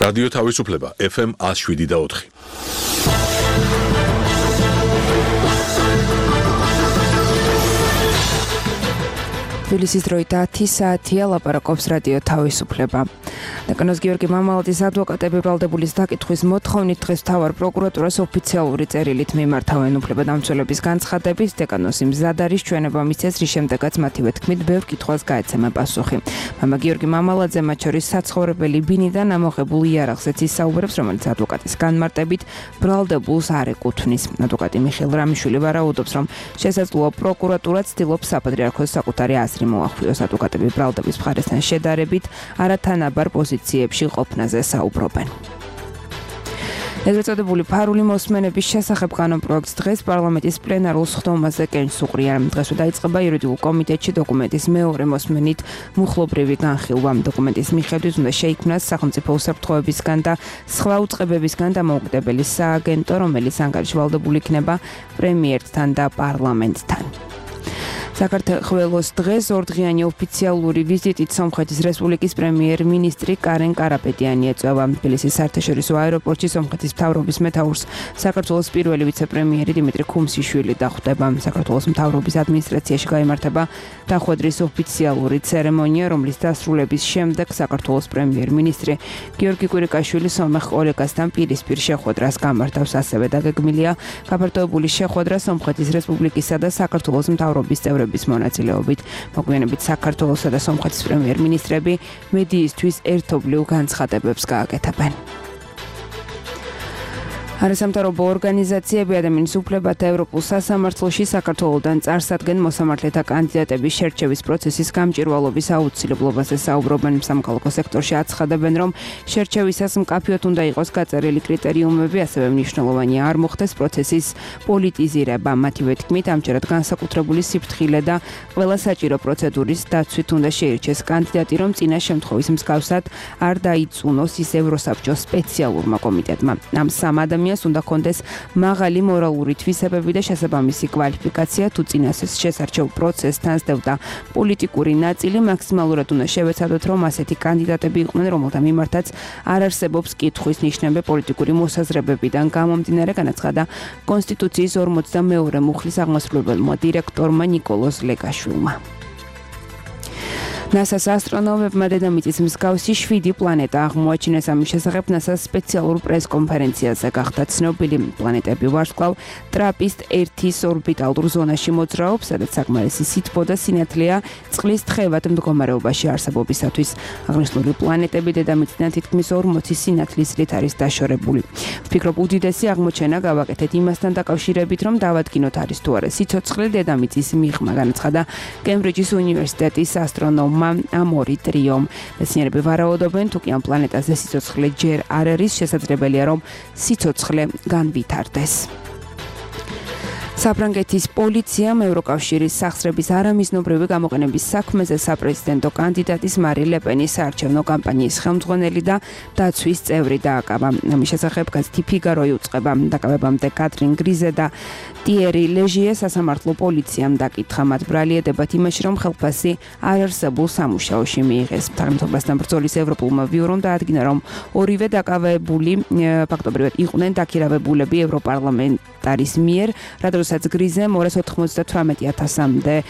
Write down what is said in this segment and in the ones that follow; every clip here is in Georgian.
რადიო თავისუფლება FM 107.4. თბილისის დროით 10 საათია, ლაპარაკობს რადიო თავისუფლება. დაკანოს გიორგი მამალაძის ადვოკატები ბრალდებულის დაკითხვის მოთხოვნით დღეს მთავარ პროკურატურას ოფიციალური წერილით მიმართავენ უფლებადამცველების განცხადების. დეკანოსი მზად არის ჩვენება მისცეს, რის შემდეგაც მათივე თქმით ბევრ კითხვას გაეცემა პასუხი. მამა გიორგი მამალაძე მათ შორის საცხოვრებელი ბინიდან ამოღებულ იარაღზეც ისაუბრებს, რომელიც ადვოკატის განმარტებით ბრალდებულს არ ეკუთვნის. ადვოკატი მიხეილ რამიშვილი ვარაუდობს, რომ შესაძლოა პროკურატურა ცდილობს საპატრიარქოს საკუთარი აზრი მოახვიოს. ადვოკატები ბრალდების მხარესთან შედარებით არათანაბარ პოზიციებში ყოფნაზე საუბრობენ. ეგრეთ წოდებული ფარული მოსმენების შესახებ კანონპროექტს დღეს პარლამენტის პლენარულ სხდომაზე კენჭს უყრია. დღესვე დაიწყება იურიდიულ კომიტეტში დოკუმენტის მეორე მოსმენით მუხლობრივი განხილვა. დოკუმენტის მიხედვით უნდა შეიქმნას სახელმწიფო უსაფრთხოებისგან და სხვა უწყებებისგან დამოუკიდებელი სააგენტო, რომელიც ანგარიშვალდებული იქნება პრემიერთან და პარლამენტთან. საქართველოს დღეს ორდღიანი ოფიციალური ვიზიტით სომხეთის რესპუბლიკის პრემიერ-მინისტრი კარენ კარაპეტიანი ეწევა. თბილისის საერთაშორისო აეროპორტში სომხეთის მთავრობის მეთაურს საქართველოს პირველი ვიცე-პრემიერი დიმიტრი ქუმსიშვილი დახვდება. საქართველოს მთავრობის ადმინისტრაციაში გაიმართება დახვედრის ოფიციალური ცერემონია, რომლის დასრულების შემდეგ საქართველოს პრემიერ-მინისტრი გიორგი კვირიკაშვილი სომეხ კოლეგასთან პირისპირ შეხვედრას გამართავს. ასევე დაგეგმილია გაფართოებული შეხვედრა სომხეთის რესპუბლიკისა და საქართველოს მთავრობის წევრების მონაწილეობით. მოგვიანებით საქართველოსა და სომხეთის პრემიერ-მინისტრები მედიისთვის ერთობლივ განცხადებებს გააკეთებენ. არასამთავრობო ორგანიზაციები ადამიანის უფლებათა ევროპულ სასამართლოში საქართველოდან წარსადგენ მოსამართლეთა კანდიდატების შერჩევის პროცესის გამჭვირვალობის აუცილებლობაზე საუბრობენ. სამოქალაქო სექტორში აცხადებენ, რომ შერჩევისას მკაფიოდ უნდა იყოს გაწერილი კრიტერიუმები, ასევე მნიშვნელოვანია არ მოხდეს პროცესის პოლიტიზირება. მათივე თქმით, ამჯერად განსაკუთრებული სიფრთხილე და ყველა საჭირო პროცედურის დაცვით უნდა შეირჩეს კანდიდატი, რომ წინა შემთხვევის მსგავსად არ დაიწუნოს ის ევროსაბჭოს სპეციალურმა კომიტეტმა. ამ სამ ადამიანს უნდა კონდეს მაღალი მორალური თვისებები და შესაბამისი კვალიფიკაცია, თუ წინასეს შესარჩევ პროცესთან სდევდა პოლიტიკური ნაწილი, მაქსიმალურად უნდა შევეცადოთ, რომ ასეთი კანდიდატები იყვნენ, რომელთა მიმართაც არ არსებობს კითხვის ნიშნები პოლიტიკური მოსაზრებებიდან გამომდინარე, განაცხადა კონსტიტუციის 42 მუხლის აღმასრულებელმა დირექტორმა ნიკოლოზ ლეგაშვილმა. NASA-ს ასტრონომებმა დედამიწის მსგავსი 7 პლანეტა აღმოაჩინეს. ამის შესახებ NASA-ს სპეციალურ პრეს-კონფერენციაზე გახდა ცნობილი. პლანეტები ვარსკვლავ ტრაპისტ-1-ის ორბიტალურ ზონაში მოძრაობს, სადაც საკმარისი სითბო და სინათლეა წყლის თხევად მდგომარეობაში არსებობისათვის. აღნიშნული პლანეტები დედამიწიდან თითქმის 40 სინათლის რით არის დაშორებული. ვფიქრობ, უდიდესი აღმოჩენა გავაკეთეთ იმასთან დაკავშირებით, რომ დავადგინოთ არის თუ არა სიცოცხლე დედამიწის მიღმა, განაცხადა კემბრიჯის უნივერსიტეტის ასტრონომმა ამორი ტრიომ. მეცნიერები ვარაუდობენ, თუ კი ამ პლანეტაზე სიცოცხლე ჯერ არ არის, შესაძლებელია, რომ სიცოცხლე განვითარდეს. საფრანგეთის პოლიციამ ევროკავშირის სახსრების არამიზნობრივი გამოყენების საქმეზე საპრეზიდენტო კანდიდატის მარი ლეპენის საარჩევნო კამპანიის ხელმძღვანელი და დაცვის წევრი დააკავა. ამის შესახებ გაზეთი ფიგარო იუწყება. დაკავებამდე კატრინ გრიზე და ტიერი ლეჟიე სასამართლო პოლიციამ დაკითხა. მათ ბრალieდებათ იმაში, რომ ხელფასი არ არსებულ სამუშაოში მიიღეს. თანამდებობასთან ბრძოლის ევროპულმა ბიურომ დაადგინა, რომ ორივე დაკავებული ფაქტობრივად იყვნენ დაქირავებულები ევროპარლამენტარის მიერ, რადგანაც გრიზემ 298,000-მდე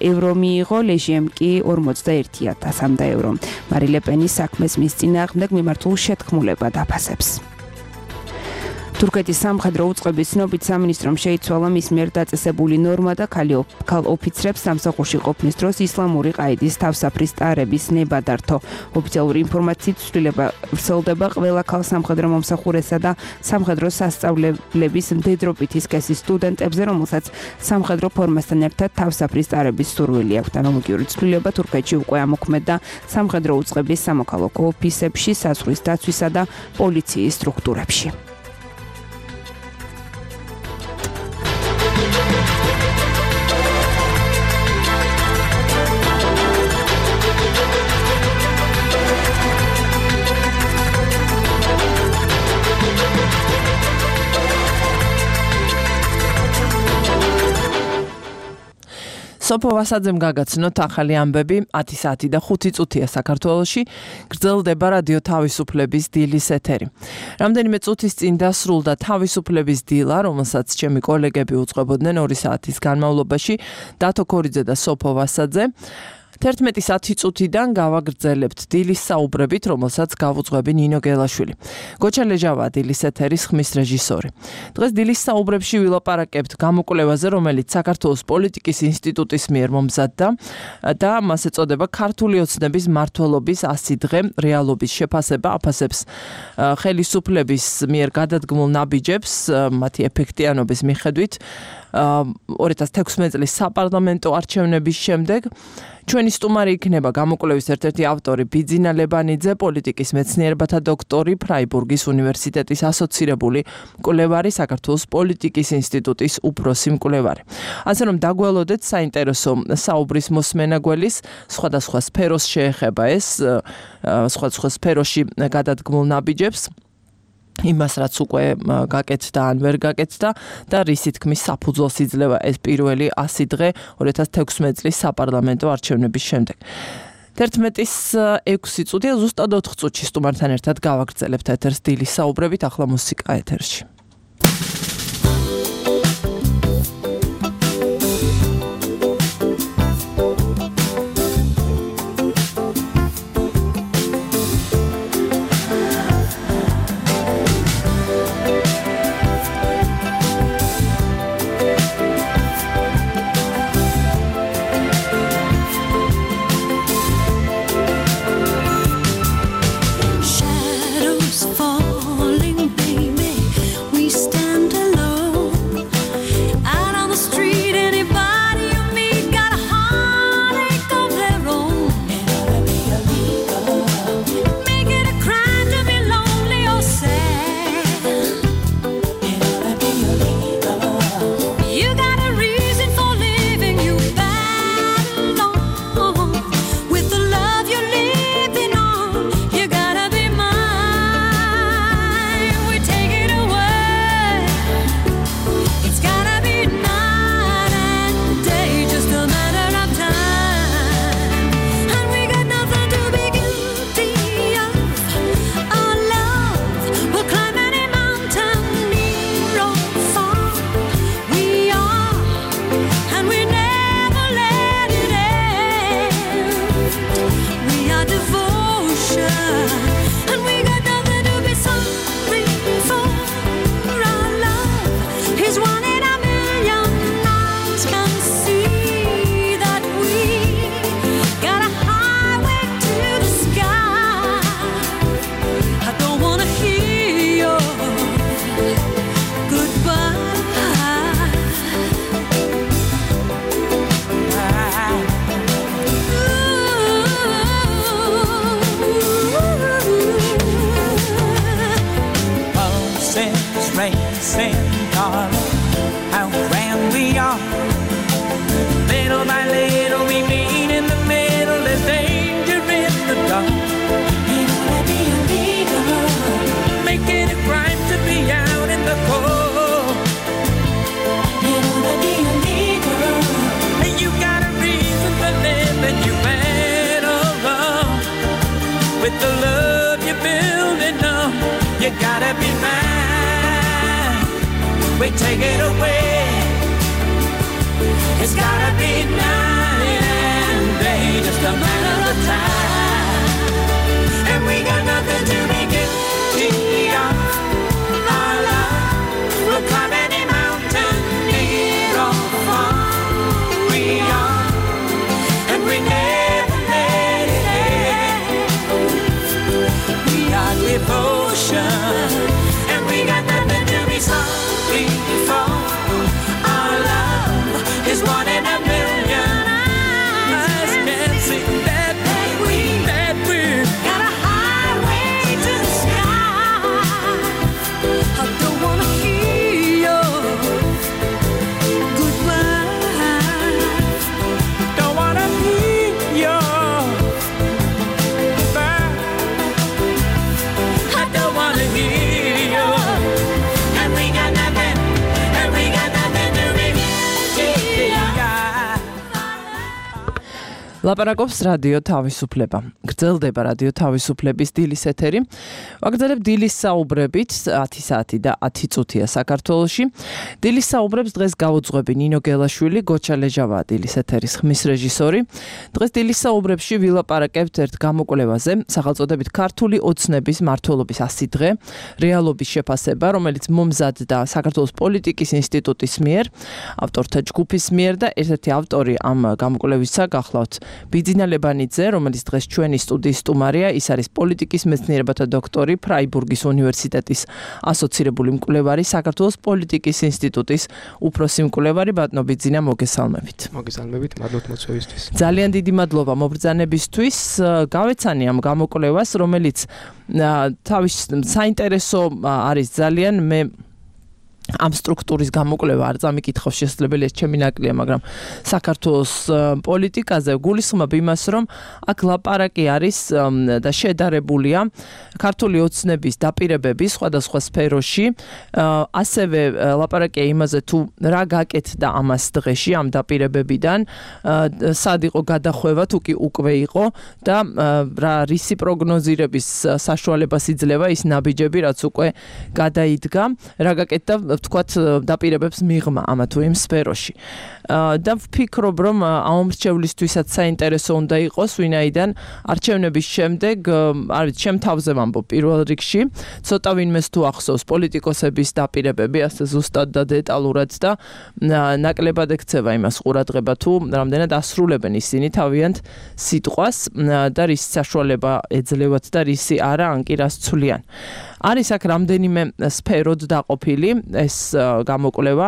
ევრო მიიღო, ლეჟიემ კი 41,000 ევრო. მარი ლეპენის საქმეს მის წინააღმდეგ მიმართულ შეთქმულება დაფასებს. თურქეთის სამხედრო უწყების ცნობით სამინისტრომ შეიცვალა მის მიერ დაწესებული ნორმა და ქალ ოფიცრებს სამსახურში ყოფნის დროს ისლამური ყაიდის თავსაფრის ტარების ნება დართო. ოფიციალური ინფორმაციით ცვლილება ვრცელდება ყველა ქალ სამხედრო მომსახურესა და სამხედრო სასწავლებლების მდედრობითი სქესის სტუდენტებზე, რომელსაც სამხედრო ფორმასთან ერთად თავსაფრის ტარების სურვილი აქვთ. ანალოგიური ცვლილება თურქეთში უკვე ამოქმედდა სამხედრო უწყების სამოქალაქო ოფისებში, საზღვრის დაცვისა და პოლიციის სტრუქტურებში. სოფო ვასაძემ გაგაცნოთ ახალი ამბები 10 საათი და 5 წუთია საქართველოში გრძელდება რადიო თავისუფლების დილის ეთერი. რამდენიმე წუთის წინ დასრულდა თავისუფლების დილა, რომელსაც ჩემი კოლეგები უწყებოდნენ 2 საათის განმავლობაში, დათო ქორიძე და სოფო ვასაძე. 11 საათი წუთიდან გავაგრძელებთ დილის საუბრებით, რომელსაც გავუძღვები ნინო გელაშვილი. გოჩა ლეჟავა დილის ეთერის ხმის რეჟისორი. დღეს დილის საუბრებში ვილაპარაკებთ გამოკვლევაზე, რომელიც საქართველოს პოლიტიკის ინსტიტუტის მიერ მომზადდა და მას ეწოდება ქართული ოცნების მმართველობის 100 დღე რეალობის შეფასება, აფასებს ხელისუფლების მიერ გადადგმულ ნაბიჯებს, მათი ეფექტიანობის მიხედვით 2016 წლის საპარლამენტო არჩევნების შემდეგ. ჩვენი სტუმარი იქნება გამოკვლევის ერთ-ერთი ავტორი ბიძინა ლებანიძე, პოლიტიკის მეცნიერებათა დოქტორი, ფრაიბურგის უნივერსიტეტის ასოცირებული მკვლევარი, საქართველოს პოლიტიკის ინსტიტუტის უფროსი მკვლევარი. ასე რომ დაგველოდეთ საინტერესო საუბრის მოსმენა გველის, სხვადასხვა სფეროს შეეხება ეს, სხვადასხვა სფეროში გადადგმულ ნაბიჯებს. იმას რაც უკვე გაკეთდა ან ვერ გაკეთდა და რისი თქმის საფუძველს იძლევა ეს პირველი 100 დღე 2016 წლის საპარლამენტო არჩევნების შემდეგ. 11-ის 6 წუთია, ზუსტად 4 წუთში სტუმართან ერთად გავაგრძელებთ ეთერს დილის საუბრებით, ახლა მუსიკა ეთერში. With the love you're building up, you gotta be mine. We take it away. It's gotta be night and day, just a matter of time. And we got nothing to be guilty of. Our love will climb any mountain, near or far. We are, and we never let it end. We are devotion, and we got nothing to be sorry for. Our love is one in a million. ლაპარაკობს რადიო თავისუფლება. გრძელდება რადიო თავისუფლების დილის ეთერი. ვაგრძელებ დილის საუბრებით 10 საათი და 10 წუთია საქართველოში. დილის საუბრებს დღეს გაუძღვები ნინო გელაშვილი, გოჩა ლეჟავა დილის ეთერის ხმის რეჟისორი. დღეს დილის საუბრებში ვილაპარაკებთ ერთ გამოკვლევაზე, სახელწოდებით ქართული ოცნების მმართველობის 100 დღე, რეალობის შეფასება, რომელიც მომზადდა საქართველოს პოლიტიკის ინსტიტუტის მიერ, ავტორთა ჯგუფის მიერ და ერთ-ერთი ავტორი ამ გამოკვლევისა გახლავთ ბიძინა ლებანიძე, რომელიც დღეს ჩვენი სტუდიის სტუმარია, ის არის პოლიტიკის მეცნიერებათა დოქტორი, ფრაიბურგის უნივერსიტეტის ასოცირებული მკვლევარი, საქართველოს პოლიტიკის ინსტიტუტის უფროსი მკვლევარი. ბატონო ბიძინა, მოგესალმებით. მოგესალმებით, მადლობთ მოწვევისთვის. ძალიან დიდი მადლობა მობრძანებისთვის. გავეცანი ამ გამოკვლევას, რომელიც თავის საინტერესო არის ძალიან. მე ამ სტრუქტურის გამოკვლევა არ წამიკითხავ, შესაძლებელია ჩემი ნაკლია, მაგრამ საქართველოს პოლიტიკაზე გულისხმობ იმას, რომ აქ ლაპარაკი არის და შედარებულია ქართული ოცნების დაპირებების სხვადასხვა სფეროში, ასევე ლაპარაკია იმაზე, თუ რა გაკეთდა ამას დღეში ამ დაპირებებიდან, სად იყო გადახვევა, თუ კი უკვე იყო და რა რისი პროგნოზირების საშუალებას იძლევა ის ნაბიჯები, რაც უკვე გადაიდგა, რა გაკეთდა ვთქვათ დაპირებებს მიღმა ამა თუ იმ სფეროში. და ვფიქრობ, რომ ამ მრჩევლისთვისაც საინტერესო უნდა იყოს, ვინაიდან არჩევნების შემდეგ, არ ვიცი, ჩემ თავზე ვამბობ პირველ რიგში, ცოტა ვინმეს თუ ახსოვს პოლიტიკოსების დაპირებები, ასე ზუსტად და დეტალურად და ნაკლებად ექცევა იმას ყურადღება, თუ რამდენად ასრულებენ ისინი თავიანთ სიტყვას და რის საშუალება ეძლევათ და რისი არა, ან კი რას ცვლიან. არის აქ რამდენიმე სფეროდ დაყოფილი ეს გამოკვლევა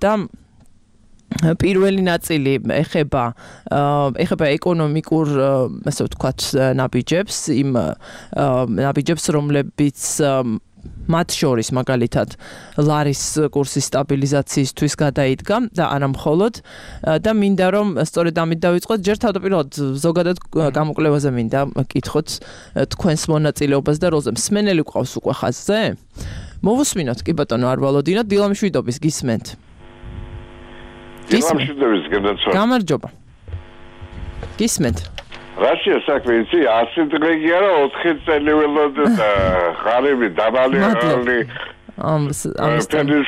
და პირველი ნაწილი ეხება ეკონომიკურ, ასე ვთქვათ, ნაბიჯებს, იმ ნაბიჯებს, რომლებიც მათ შორის მაგალითად ლარის კურსის სტაბილიზაციისთვის გადაიდგა და არა მხოლოდ და მინდა რომ სწორედ ამით დავიწყოთ. ჯერ თავდაპირველად ზოგადად გამოკვლევაზე მინდა კითხოთ თქვენს მონაწილეობას და როლზე. მსმენელი გვყავს უკვე ხაზზე? მოვუსმინოთ, კი ბატონო, არ ვალოდინოთ, დილამშვიდობის გისმენთ. დილამშვიდობის გადაცვალ. გამარჯობა. გისმენთ. რაშია საქმე, იცი, 100 დღე კი არა, 4 წელი ველოდე და ხარები დაბალი ხალი. ამის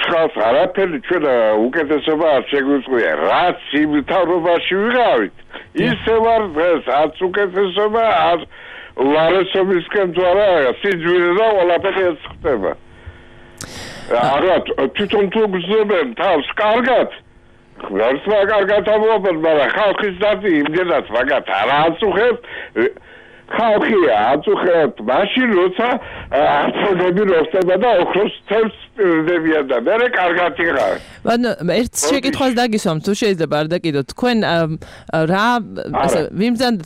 ხალხს არაფერი ჩვენ უკეთესობა არ შეგვიწყვია. რაც იმ თავრობაში ვიღავით, ისე ვარ დღეს, არც უკეთესობა, არ ლარესობისკენ თუ არა, სიძვირე და ყველაფერი ეს ხდება. არა, თვითონ თუ გძნობენ თავს კარგად, როცა კარგად ამბობენ, მაგრამ ხალხის დაცი იმდენად მაგათ არ აწუხებთ, ხალხი აწუხებთ მაშინ, როცა აწუხები როსტება და ოქროს თევზს პირდებიან და მერე კარგად იღავენ. ერთ შეკითხვას დაგისვამ, თუ შეიძლება არ დაკიდოთ, თქვენ რა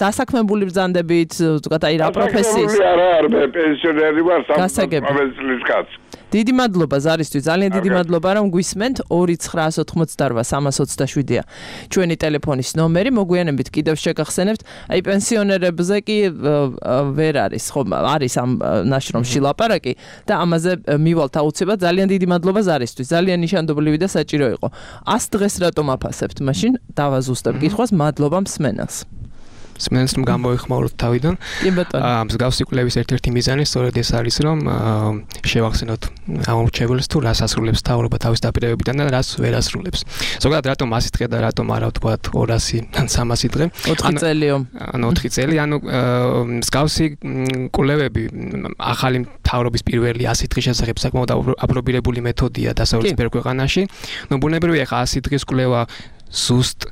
დასაქმებული ბრძანდებით, ვთქვათ, აი რა პროფესიის? არა, მე პენსიონერი ვარ, 65 წლის კაცი. დიდი მადლობა ზარისთვის, ძალიან დიდი მადლობა რომ გვისმენთ. 2988327-ია ჩვენი ტელეფონის ნომერი. მოგვიანებით კიდევ შეგახსენებთ, აი პენსიონერებზე კი ვერ არის, ხო, არის ამ ნაშრომში ლაპარაკი და ამაზე მივალთ აუცილებლად. ძალიან დიდი მადლობა ზარისთვის, ძალიან ნიშანდობლივი და საჭირო იყო. 100 დღეს რატომ აფასებთ? მაშინ დავაზუსტებ კითხვას. მადლობა მსმენელს. მსმენელს რომ გამოიხმაუროთ თავიდან. კი ბატონო. მსგავსი კვლევის ერთ-ერთი მიზანი სწორედ ეს არის, რომ შევახსენოთ ამორჩეველს თუ რას ასრულებს თავრობა თავის დაპირებებიდან და რას ვერ ასრულებს. ზოგადად რატომ 100 დღე და რატომ არა ვთქვათ 200 ან 300 დღე? 4 წელიო. ანუ 4 წელი, ანუ მსგავსი კვლევები ახალი თავრობის პირველი 100 დღის შესახებ საკმაოდ აპრობირებული მეთოდია დასავლეთის ბევრ ქვეყანაში. ნუ ბუნებრივია ხა 100 დღის კვლევა ზუსტ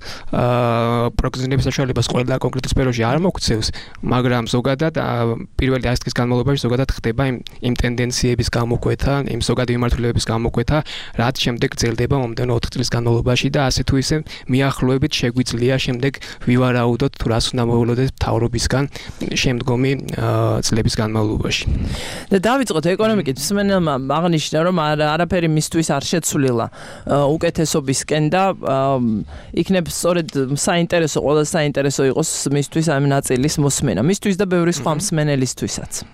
პროგნოზების საშუალებას ყველა კონკრეტულ სფეროში არ მოგვცევს, მაგრამ ზოგადად პირველი 100 დღის განმავლობაში ზოგადად ხდება იმ ტენდენციების გამოკვეთა, იმ ზოგადი მიმართულებების გამოკვეთა, რაც შემდეგ გრძელდება მომდევნო 4 წლის განმავლობაში და ასე თუ ისე მიახლოებით შეგვიძლია შემდეგ ვივარაუდოთ თუ რას უნდა მოვლოდეთ თავრობისგან შემდგომი წლების განმავლობაში. და დავიწყოთ ეკონომიკით. მსმენელმა აღნიშნა, რომ არაფერი მისთვის არ შეცვლილა უკეთესობისკენ და იქნებ სწორედ საინტერესო, ყველა საინტერესო იყოს მისთვის ამ ნაწილის მოსმენა. მისთვის და ბევრი სხვა მსმენელისთვისაც.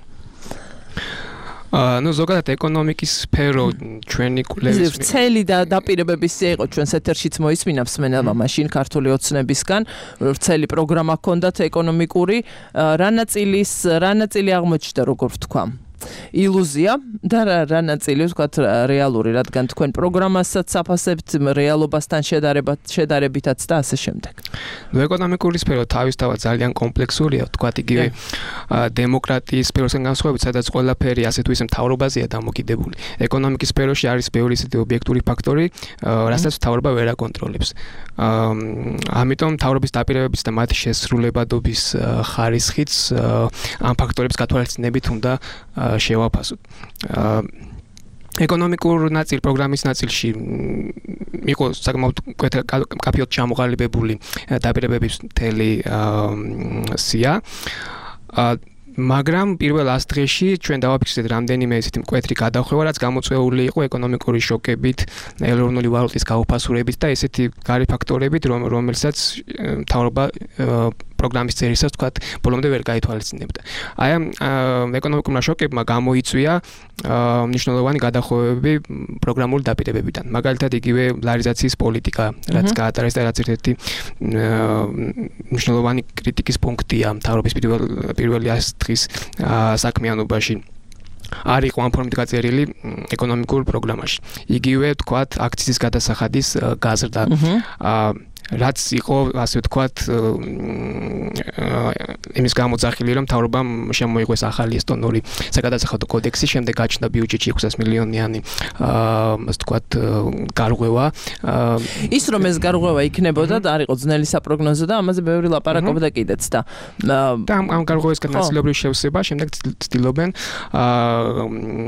ნუ ზოგადად ეკონომიკის სფერო ჩვენი კვლევის ვრცელი და დაპირებების სია იყო ჩვენს ეთერშიც მოისმინა მსმენელმა მაშინ ქართული ოცნებისგან ვრცელი პროგრამა ჰქონდათ ეკონომიკური რა ნაწილი აღმოჩნდა როგორ ვთქვა ილუზია და რა ნაწილი ვთქვათ რეალური რადგან თქვენ პროგრამასაც აფასებთ რეალობასთან შედარებითაც და ასე შემდეგ. ნუ ეკონომიკური სფერო თავისთავად ძალიან კომპლექსურია ვთქვათ იგივე დემოკრატიის სფეროსგან განსხვავებით სადაც ყველაფერი ასე თუ ისე მთავრობაზეა დამოკიდებული. ეკონომიკის სფეროში არის ბევრი ისეთი ობიექტური ფაქტორი რასაც მთავრობა ვერ აკონტროლებს. ამიტომ მთავრობის დაპირებების და მათი შესრულებადობის ხარისხიც ამ ფაქტორებს გათვალისწინებით უნდა შევაფასოთ. ეკონომიკურ პროგრამის ნაწილში იყო საკმაოდ კაფეოდ ჩამოყალიბებული დაპირებების მთელი სია. მაგრამ პირველ 100 დღეში ჩვენ დავაფიქსირეთ რამდენიმე ესეთი მკვეთრი გადახვევა, რაც გამოწვეული იყო ეკონომიკური შოკებით, ეროვნული ვალუტის გაუფასურებით და ესეთი გარე ფაქტორებით, რომელსაც მთავრობა პროგრამის წერისას თქვათ ბოლომდე ვერ გაითვალისწინებდა. აი ამ ეკონომიკურმა შოკებმა გამოიწვია მნიშვნელოვანი გადახვევები პროგრამული დაპირებებიდან. მაგალითად იგივე ლარიზაციის პოლიტიკა, რაც გაატარეს და რაც ერთ-ერთი მნიშვნელოვანი კრიტიკის პუნქტია მთავრობის პირველი 100 დღის საქმიანობაში. არ იყო ამ ფორმით გაწერილი ეკონომიკურ პროგრამაში. იგივე თქვათ აქციის გადასახადის გაზრდა. რაც იყო ასე ვთქვათ იმის გამოძახილი რომ მთავრობამ შემოიღოს ახალი ესტონური საგადასახადო კოდექსი, შემდეგ გაჩნდა ბიუჯეტში 600 მილიონიანი ასე ვთქვათ გარღვევა. ის რომ ეს გარღვევა იქნებოდა და არ იყო ძნელი საპროგნოზო და ამაზე ბევრი ლაპარაკობდა კიდეც და ამ გარღვევისგან ნაწილობრივ შევსება, შემდეგ ცდილობენ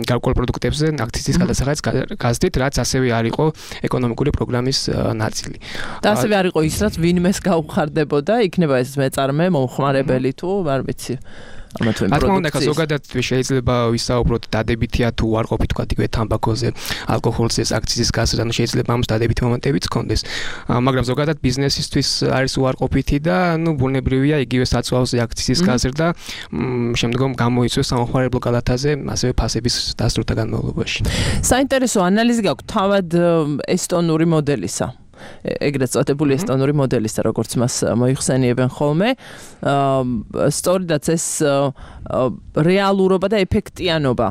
გარკვეულ პროდუქტებზე აქციის გადასახადს გაზრდით, რაც ასევე არ იყო ეკონომიკური პროგრამის ნაწილი. და ასევე არ იყო ის რაც ვინმეს გაუხარდებოდა, იქნება ეს მეწარმე, მომხმარებელი თუ არ ვიცი. ამათვე ზოგადად შეიძლება ვისაუბროთ დადებითია თუ არ ყოფით თქვა იგივე თამბაქოზე, ალკოჰოლზე, აქციის გაზრდა, ანუ შეიძლება ამას დადებითი მომენტებიც ჰქონდეს. მაგრამ ზოგადად ბიზნესისთვის არის უარყოფითი და ნუ ბუნებრივია იგივე საწვავზე აქციის გაზრდა, შემდგომ გამოიწვევს სამხმარებლო კალათაზე, ასევე ფასების დასრულთა განმავლობაში. საინტერესო ანალიზი გაქვთ თავად ესტონური მოდელისა. ეგრეთ წოდებული ესტონური მოდელისა, როგორც მას მოიხსენიებენ ხოლმე. სწორედაც ეს რეალურობა და ეფექტიანობა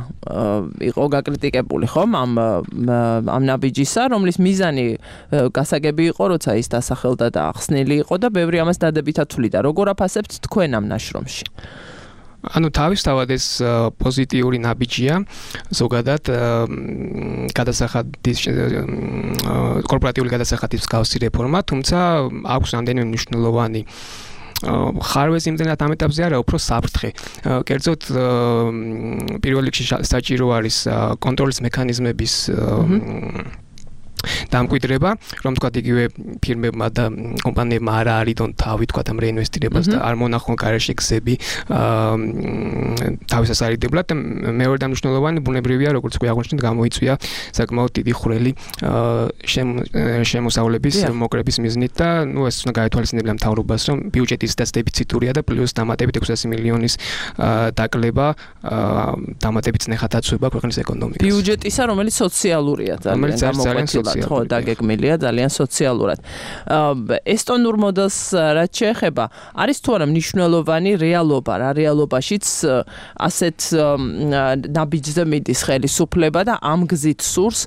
იყო გაკრიტიკებული ხომ ამ ნაბიჯისა, რომლის მიზანი გასაგები იყო, როცა ის დასახელდა და ახსნილი იყო და ბევრი ამას დადებითად თვლიდა. როგორ აფასებთ თქვენ ამ ნაშრომში? ანუ თავისთავად ეს პოზიტიური ნაბიჯია ზოგადად გადასახადის კორპორატიული გადასახადის მსგავსი რეფორმა, თუმცა აქვს რამდენიმე მნიშვნელოვანი ხარვეზი იმდენად ამ ეტაპზე არა, უფრო საფრთხე. კერძოდ პირველ რიგში საჭირო არის კონტროლის მექანიზმების დამკვიდრება, რომ თქვა იგივე ფირმებმა და კომპანიებმა არ არიდონ თავი თქვა ამ რეინვესტირებას და არ მონახონ გარეშე გზები თავისას არიდებლად და მეორე მნიშვნელოვანი ბუნებრივია, როგორც კი აღნიშნეთ, გამოიწვია საკმაოდ დიდი ხვრელი შემოსავლების მოკრების მიზნით და ნუ ეს უნდა გაითვალისწინებინა მთავრობას, რომ ბიუჯეტი ისედაც დეფიციტურია და პლუს დამატებით 600 მილიონის დაკლება დამატებით ნახატაცვება ქვეყნის ეკონომიკას. ბიუჯეტისა, რომელიც სოციალურია, ძალიან ხო, დაგეგმილია ძალიან სოციალურად. ესტონურ მოდელს რაც შეეხება, არის თუ არა მნიშვნელოვანი რეალობა, რა რეალობაშიც ასეთ ნაბიჯზე მიდის ხელისუფლება და ამ გზით სურს,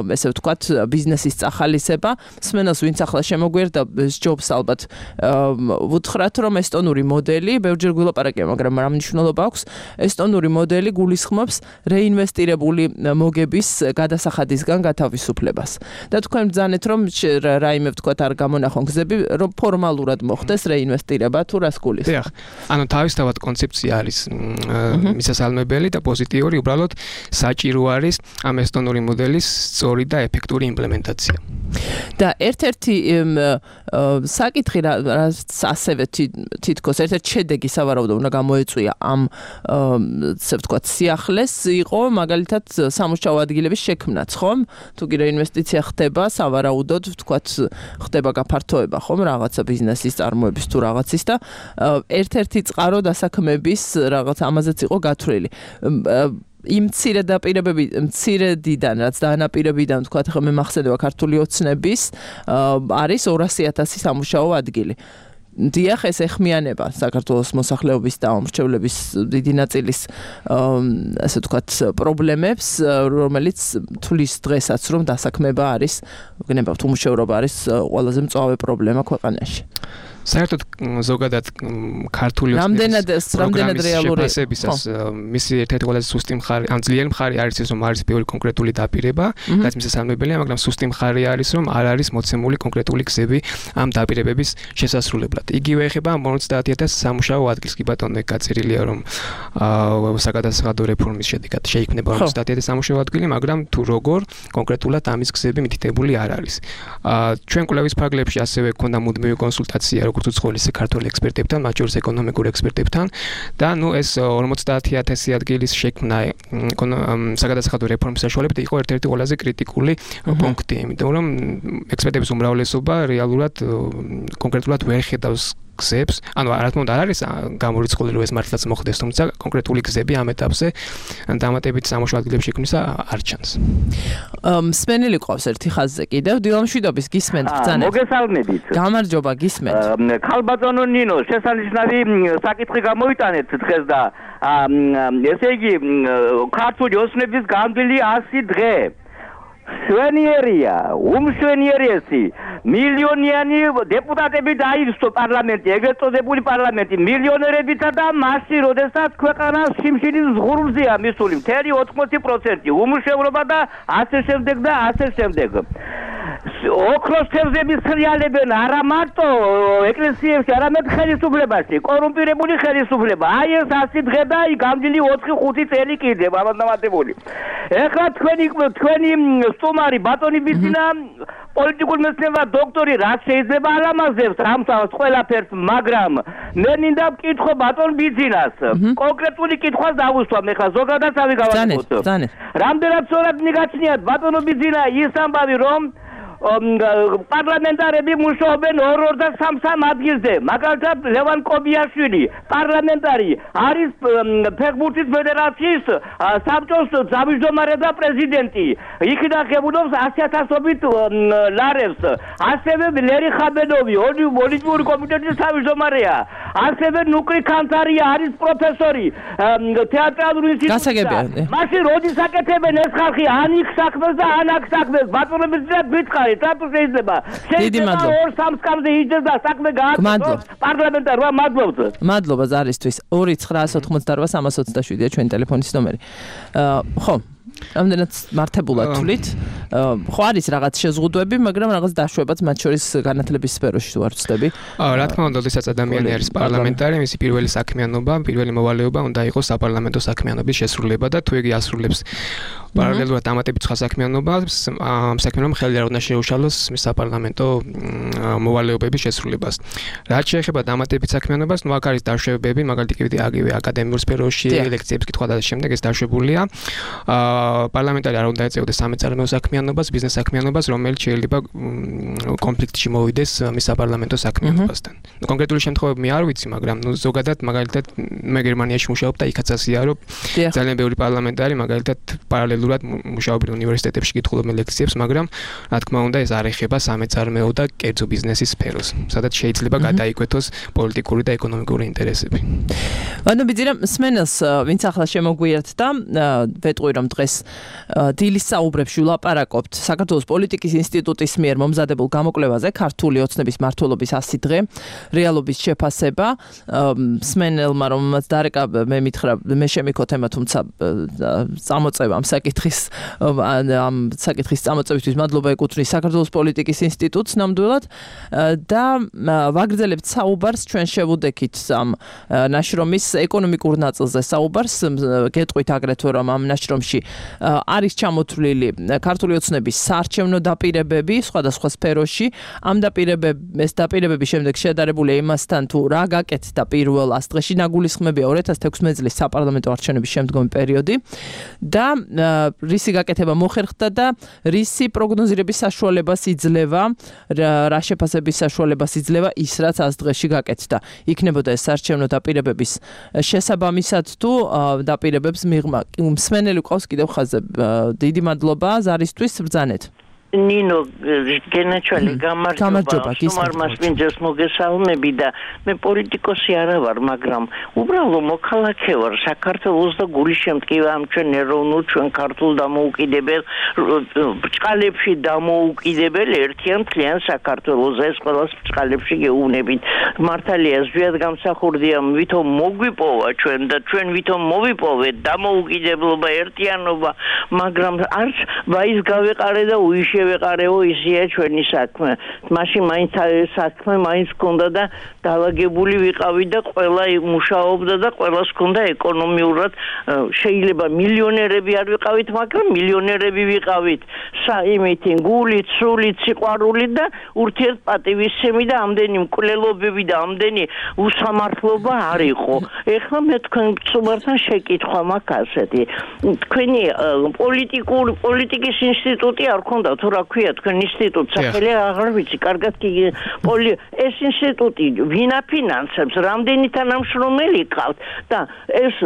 ესე ვთქვათ, ბიზნესის წახალისება. მსმენელს ვინც ახლა შემოგვერდა ჯობს ალბათ ვუთხრათ, რომ ესტონური მოდელი, ბევრჯერ გვილაპარაკია, მაგრამ რა მნიშვნელობა აქვს? ესტონური მოდელი გულისხმობს რეინვესტირებული მოგების გადასახადისგან გათავისუფლებას. და თქვენ ბრძანეთ, რომ რაიმე ვთქვათ არ გამონახონ გზები, რომ ფორმალურად მოხდეს რეინვესტირება თუ რას გულისხმობს. დიახ. ანუ თავისთავად კონცეფცია არის მისასალმებელი და პოზიტიური, უბრალოდ საჭირო არის ამ ესტონური მოდელის სწორი და ეფექტური იმპლემენტაცია. და ერთ-ერთი საკითხი რაც ასევე თითქოს ერთ-ერთი შედეგი სავარაუდოდ უნდა გამოეწვია ამ ასე ვთქვათ სიახლეს იყო მაგალითად სამუშაო ადგილების შექმნაც, ხომ? თუ კი რეინვესტიცია ხდება, სავარაუდოდ ვთქვათ ხდება გაფართოება, ხომ, რაღაცა ბიზნესის წარმოების თუ რაღაცის და ერთ-ერთი წყარო დასაქმების რაღაც ამაზეც იყო გათვლილი. იმ მცირედიდან რაც დანაპირებიდან თქვათ ხომ მე მახსენდება ქართული ოცნების არის 200,000 სამუშაო ადგილი. დიახ, ეს ეხმიანება საქართველოს მოსახლეობის და მომრჩევლების დიდი ნაწილის ასე ვთქვათ პრობლემებს, რომელიც თulis დღესაც რომ დასაქმება არის, გნებავთ უმუშევრობა არის ყველაზე მწვავე პრობლემა ქვეყანაში. საერთოდ ზოგადად ქართული რამდენად რეალური შეფასებისას მისი ერთ-ერთი ყველაზე სუსტი მხარე, ან ძლიერი მხარე არის ის, რომ არის ბევრი კონკრეტული დაპირება, რაც მისასალმებელია, მაგრამ სუსტი მხარე არის, რომ არ არის მოცემული კონკრეტული გზები ამ დაპირებების შესასრულებლად. იგივე ეხება 50,000 სამუშაო ადგილს, კი ბატონო, ეგ გაწერილია, რომ საგადასახადო რეფორმის შედეგად შეიქმნება 50,000 სამუშაო ადგილი, მაგრამ თუ როგორ კონკრეტულად ამის გზები მითითებული არ არის. ჩვენ კვლევის ფარგლებში ასევე გქონდა მუდმივი კონსულტაცია როგორც უცხოელი საქართველოს ექსპერტებთან, მათ შორის ეკონომიკურ ექსპერტებთან და ეს 50,000 ადგილის შექმნა საგადასახადო რეფორმის საშუალებით იყო ერთ-ერთი ყველაზე კრიტიკული პუნქტი, იმიტომ რომ ექსპერტების უმრავლესობა რეალურად კონკრეტულად ვერ ხედავს გზებს, ანუ რა თქმა უნდა არ არის გამორიცხული რომ ეს მართლაც მოხდეს, თუმცა კონკრეტული გზები ამ ეტაპზე დამატებით სამუშაო ადგილებში შექმნისა არ ჩანს. მსმენელი ყავს ერთი ხაზზე კიდევ, დილამშვიდობის გისმენთ ბრძანებს. მოგესალმებით. გამარჯობა, გისმენთ. ხალბატონო ნინო, შესანიშნავი საკითხი გამოიტანეთ დღეს და ესე იგი ქართული ოცნების გამდვილი 100 დღე. შვენიერია, უმშვენიერესი მილიონიანი დეპუტატები დაივსო პარლამენტი, ეგრეთ წოდებული პარლამენტი მილიონერებითა და მასში, როდესაც ქვეყანა სიმშილის ზღურბზეა მისული, მთელი 80%, უმუშევრობა და ასე შემდეგ და ასე შემდეგ. ოქროს თევზების სრიალებენ არა მარტო ეკლესიებში, არამედ ხელისუფლებაში, კორუმპირებული ხელისუფლება. აი ეს 100 დღე და გამდილი 4-5 წელი კიდევ ამადამატებული. ეხლა თქვენი სტუმარი ბატონი ბიძინა პოლიტიკურ მეცნიერება დოქტორი რაც შეიძლება ალამაზებს ამას ყველაფერს, მაგრამ მე მინდა ვკითხო ბატონ ბიძინას. კონკრეტული კითხვას დავუსვამ ეხლა ზოგადად ავი გავაკეთოთ. რამდენად სწორად მიგაჩნიათ ბატონო ბიძინა ის ამბავი რომ პარლამენტარები მუშაობენ 2 და 3 ადგილზე. მაგალითად ლევან კობიაშვილი პარლამენტარი არის ფეხბურთის ფედერაციის საბჭოს თავმჯდომარე და პრეზიდენტი. იქიდან ხებულობს 100,000-ობით ლარებს. ასევე ლერი ხაბენოვი ოლიმპიური კომიტეტის თავმჯდომარეა. ასევე ნუკრი კანთარია არის პროფესორი თეატრალური ინსტიტუტში. მაშინ როდის აკეთებენ ეს ხალხი ან იქ საქმეს და ან აქ საქმეს? ბატონები ძლიერ გითხარით. რატო შეიძლება? შეიძლება 2-3 სკამზე იჯდეს და საქმე გააკეთოს პარლამენტარმა. მადლობა ზარისთვის. 2-988-327-ია ჩვენი ტელეფონის ნომერი. ხო, რამდენად მართებულად თვლით? ხო არის რაღაც შეზღუდვები, მაგრამ რაღაც დაშვებაც მათ შორის განათლების სფეროში თუ არ ვცდები. რა თქმა უნდა, როდესაც ადამიანი არის პარლამენტარი, მისი პირველი საქმიანობა, პირველი მოვალეობა უნდა იყოს საპარლამენტო საქმიანობის შესრულება და თუ იგი ასრულებს პარალელურად დამატებით სხვა საქმიანობას, ამ საქმიანობამ ხელი არ უნდა შეუშალოს საპარლამენტო მოვალეობების შესრულებას. რაც შეეხება დამატებით საქმიანობას, ნუ აქ არის დაშვებები, მაგალითად აგივე აკადემიურ სფეროში, ლექციების კითხვა და შემდეგ ეს დაშვებულია. პარლამენტარი არ უნდა ეწეოდეს სამეწარმეო საქმიანობას, ბიზნეს საქმიანობას, რომელიც შეიძლება კონფლიქტში მოვიდეს მის საპარლამენტო საქმიანობასთან. კონკრეტული შემთხვევები მე არ ვიცი, მაგრამ ზოგადად მაგალითად მე გერმანიაში მუშაობ და იქაც ასეა, რომ ძალიან ბევრი პარლამენტარი მაგალითად პარალელურად მუშაობენ უნივერსიტეტებში, კითხულობენ ლექციებს, მაგრამ რა თქმა უნდა ეს არ ეხება სამეწარმეო და კერძო ბიზნესის სფეროს, სადაც შეიძლება გადაიკვეთოს პოლიტიკური და ეკონომიკური ინტერესები. ანუ ბიძინა მსმენელს ვინც ახლა შემოგვიერთდა, ვეტყვი რომ დღეს დილის საუბრებში ვლაპარაკობთ საქართველოს პოლიტიკის ინსტიტუტის მიერ მომზადებულ გამოკვლევაზე ქართული ოცნების მმართველობის 100 დღე რეალობის შეფასება. მსმენელმა რომელმაც დარეკა მე მითხრა მე შემიქო თემა, თუმცა წამოწევა ამ საკითხის წამოწევისთვის მადლობა ეკუთვნის საქართველოს პოლიტიკის ინსტიტუტს ნამდვილად და ვაგრძელებთ საუბარს ჩვენ შევუდექით ამ ნაშრომის ეკონომიკურ ნაწილზე საუბარს. გეტყვით აგრეთვე რომ ამ ნაშრომში არის ჩამოთვლილი ქართული ოცნების საარჩევნო დაპირებები სხვადასხვა სფეროში. ამ დაპირებების შემდეგ შედარებულია იმასთან თუ რა გაკეთდა პირველ 100 დღეში, ნაგულისხმებია 2016 წლის საპარლამენტო არჩევნების შემდგომი პერიოდი და რისი გაკეთება მოხერხდა და რისი პროგნოზირების საშუალებას იძლევა, რა შეფასების საშუალებას იძლევა ის, რაც 100 დღეში გაკეთდა. იქნებოდა ეს საარჩევნო დაპირებების შესაბამისად თუ დაპირებებს მიღმა. მსმენელი ყავს კიდევ ხაზზე. დიდი მადლობა ზარისთვის ბრძანეთ. ნინო გენაჩვალი გამარჯობა სუმარმას მინძეს მოგესალმები და მე პოლიტიკოსი არა ვარ მაგრამ უბრალო მოქალაქე ვარ საქართველოს და გულის შემტკივა ამ ჩვენ ეროვნულ ჩვენ ქართულ დამოუკიდებელ ბრჭყალებში დამოუკიდებელ ერთიან მთლიან საქართველოს ეს ყველას ბრჭყალებში გეუბნებით მართალია ზვიად გამსახურდია ვითომ მოგვიპოვა ჩვენ და ჩვენ ვითომ მოვიპოვეთ დამოუკიდებლობა ერთიანობა მაგრამ არც ვაის გავეყარე და უიშე ვეყარეო ისია ჩვენი საქმე. მაშინ მაინც საქმე მაინც ჰქონდა და დაალაგებული ვიყავი და ყველა მუშაობდა და ყველას ჰქონდა ეკონომიურად შეიძლება მილიონერები არ ვიყავით, მაგრამ მილიონერები ვიყავით. იმითი გულით, სულით, სიყვარულით და ურთიერთპატივისცემი და ამდენი მკვლელობები და ამდენი უსამართლობა არ იყო. ეხლა მე თქვენ წუმართან შეკითხვა მაქვს ასეთი. თქვენი პოლიტიკის ინსტიტუტი არ ქონდა თუ რა ქვია თქვენ ინსტიტუტს სახელი აღარ ვიცი კარგად კი ეს ინსტიტუტი ვინ აფინანსებს რამდენი თანამშრომელი ყავთ და ეს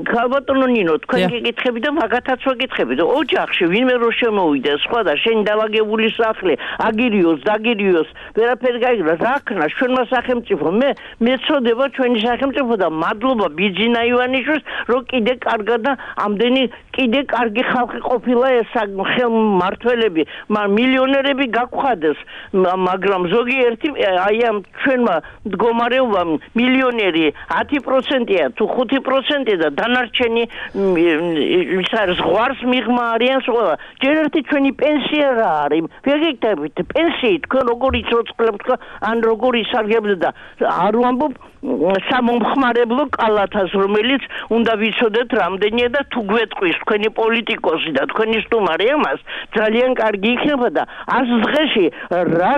ქალბატონო ნინო თქვენ გეკითხები და მაგათაც ვეკითხები და ოჯახში ვინმე რო შემოვიდა სხვა და შენ დაალაგებული სახლი აგირიოს დაგირიოს ვერაფერი გაიგო რა ქნა ჩვენმა სახელმწიფო მე მეწოდება ჩვენი სახელმწიფო და მადლობა ბიძინა ივანიშვილს რომ კიდე კარგად და ამდენი კიდე კარგი ხალხი ყოფილა ეს ხელმმართველები მილიონერები გაგვხადეს მაგრამ ზოგიერთი აი ამ ჩვენმა მდგომარეობამ მილიონერი 10%-ია თუ 5% და დანარჩენი ის არის ზღვარს მიღმა არიან ყველა ჯერ ერთი ჩვენი პენსია რა არის ვეგეთებით პენსიით თქვენ როგორი ცოცხლებთ ან როგორი სარგებლობთ და არ ვამბობ სამომხმარებლო კალათას რომელიც უნდა ვიცოდეთ რამდენია და თუ გვეტყვის თქვენი პოლიტიკოსი და თქვენი სტუმარი ამას ძალიან კარგი იქნება და 100 დღეში რა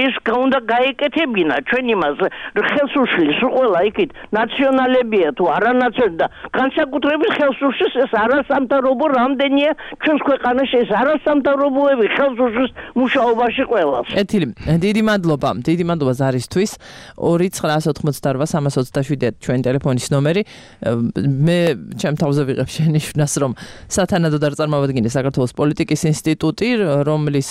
ის უნდა გაეკეთებინა ჩვენ იმას ხელს უშლის ყველა იქით ნაციონალებია თუ არანაციონალი და განსაკუთრებით ხელს უშლის ეს არასამთავრობო რამდენია ჩვენს ქვეყანაში ეს არასამთავრობოები ხელს უშლის მუშაობაში ყველას ეთილი დიდი მადლობა ზარისთვის 2988327 ჩვენი ტელეფონის ნომერი მე ჩემ თავზე ვიღებ შენიშვნას რომ სათანადოდ არ წარმოვადგინე საქართველოს პოლიტიკის ინსტიტუტი რომლის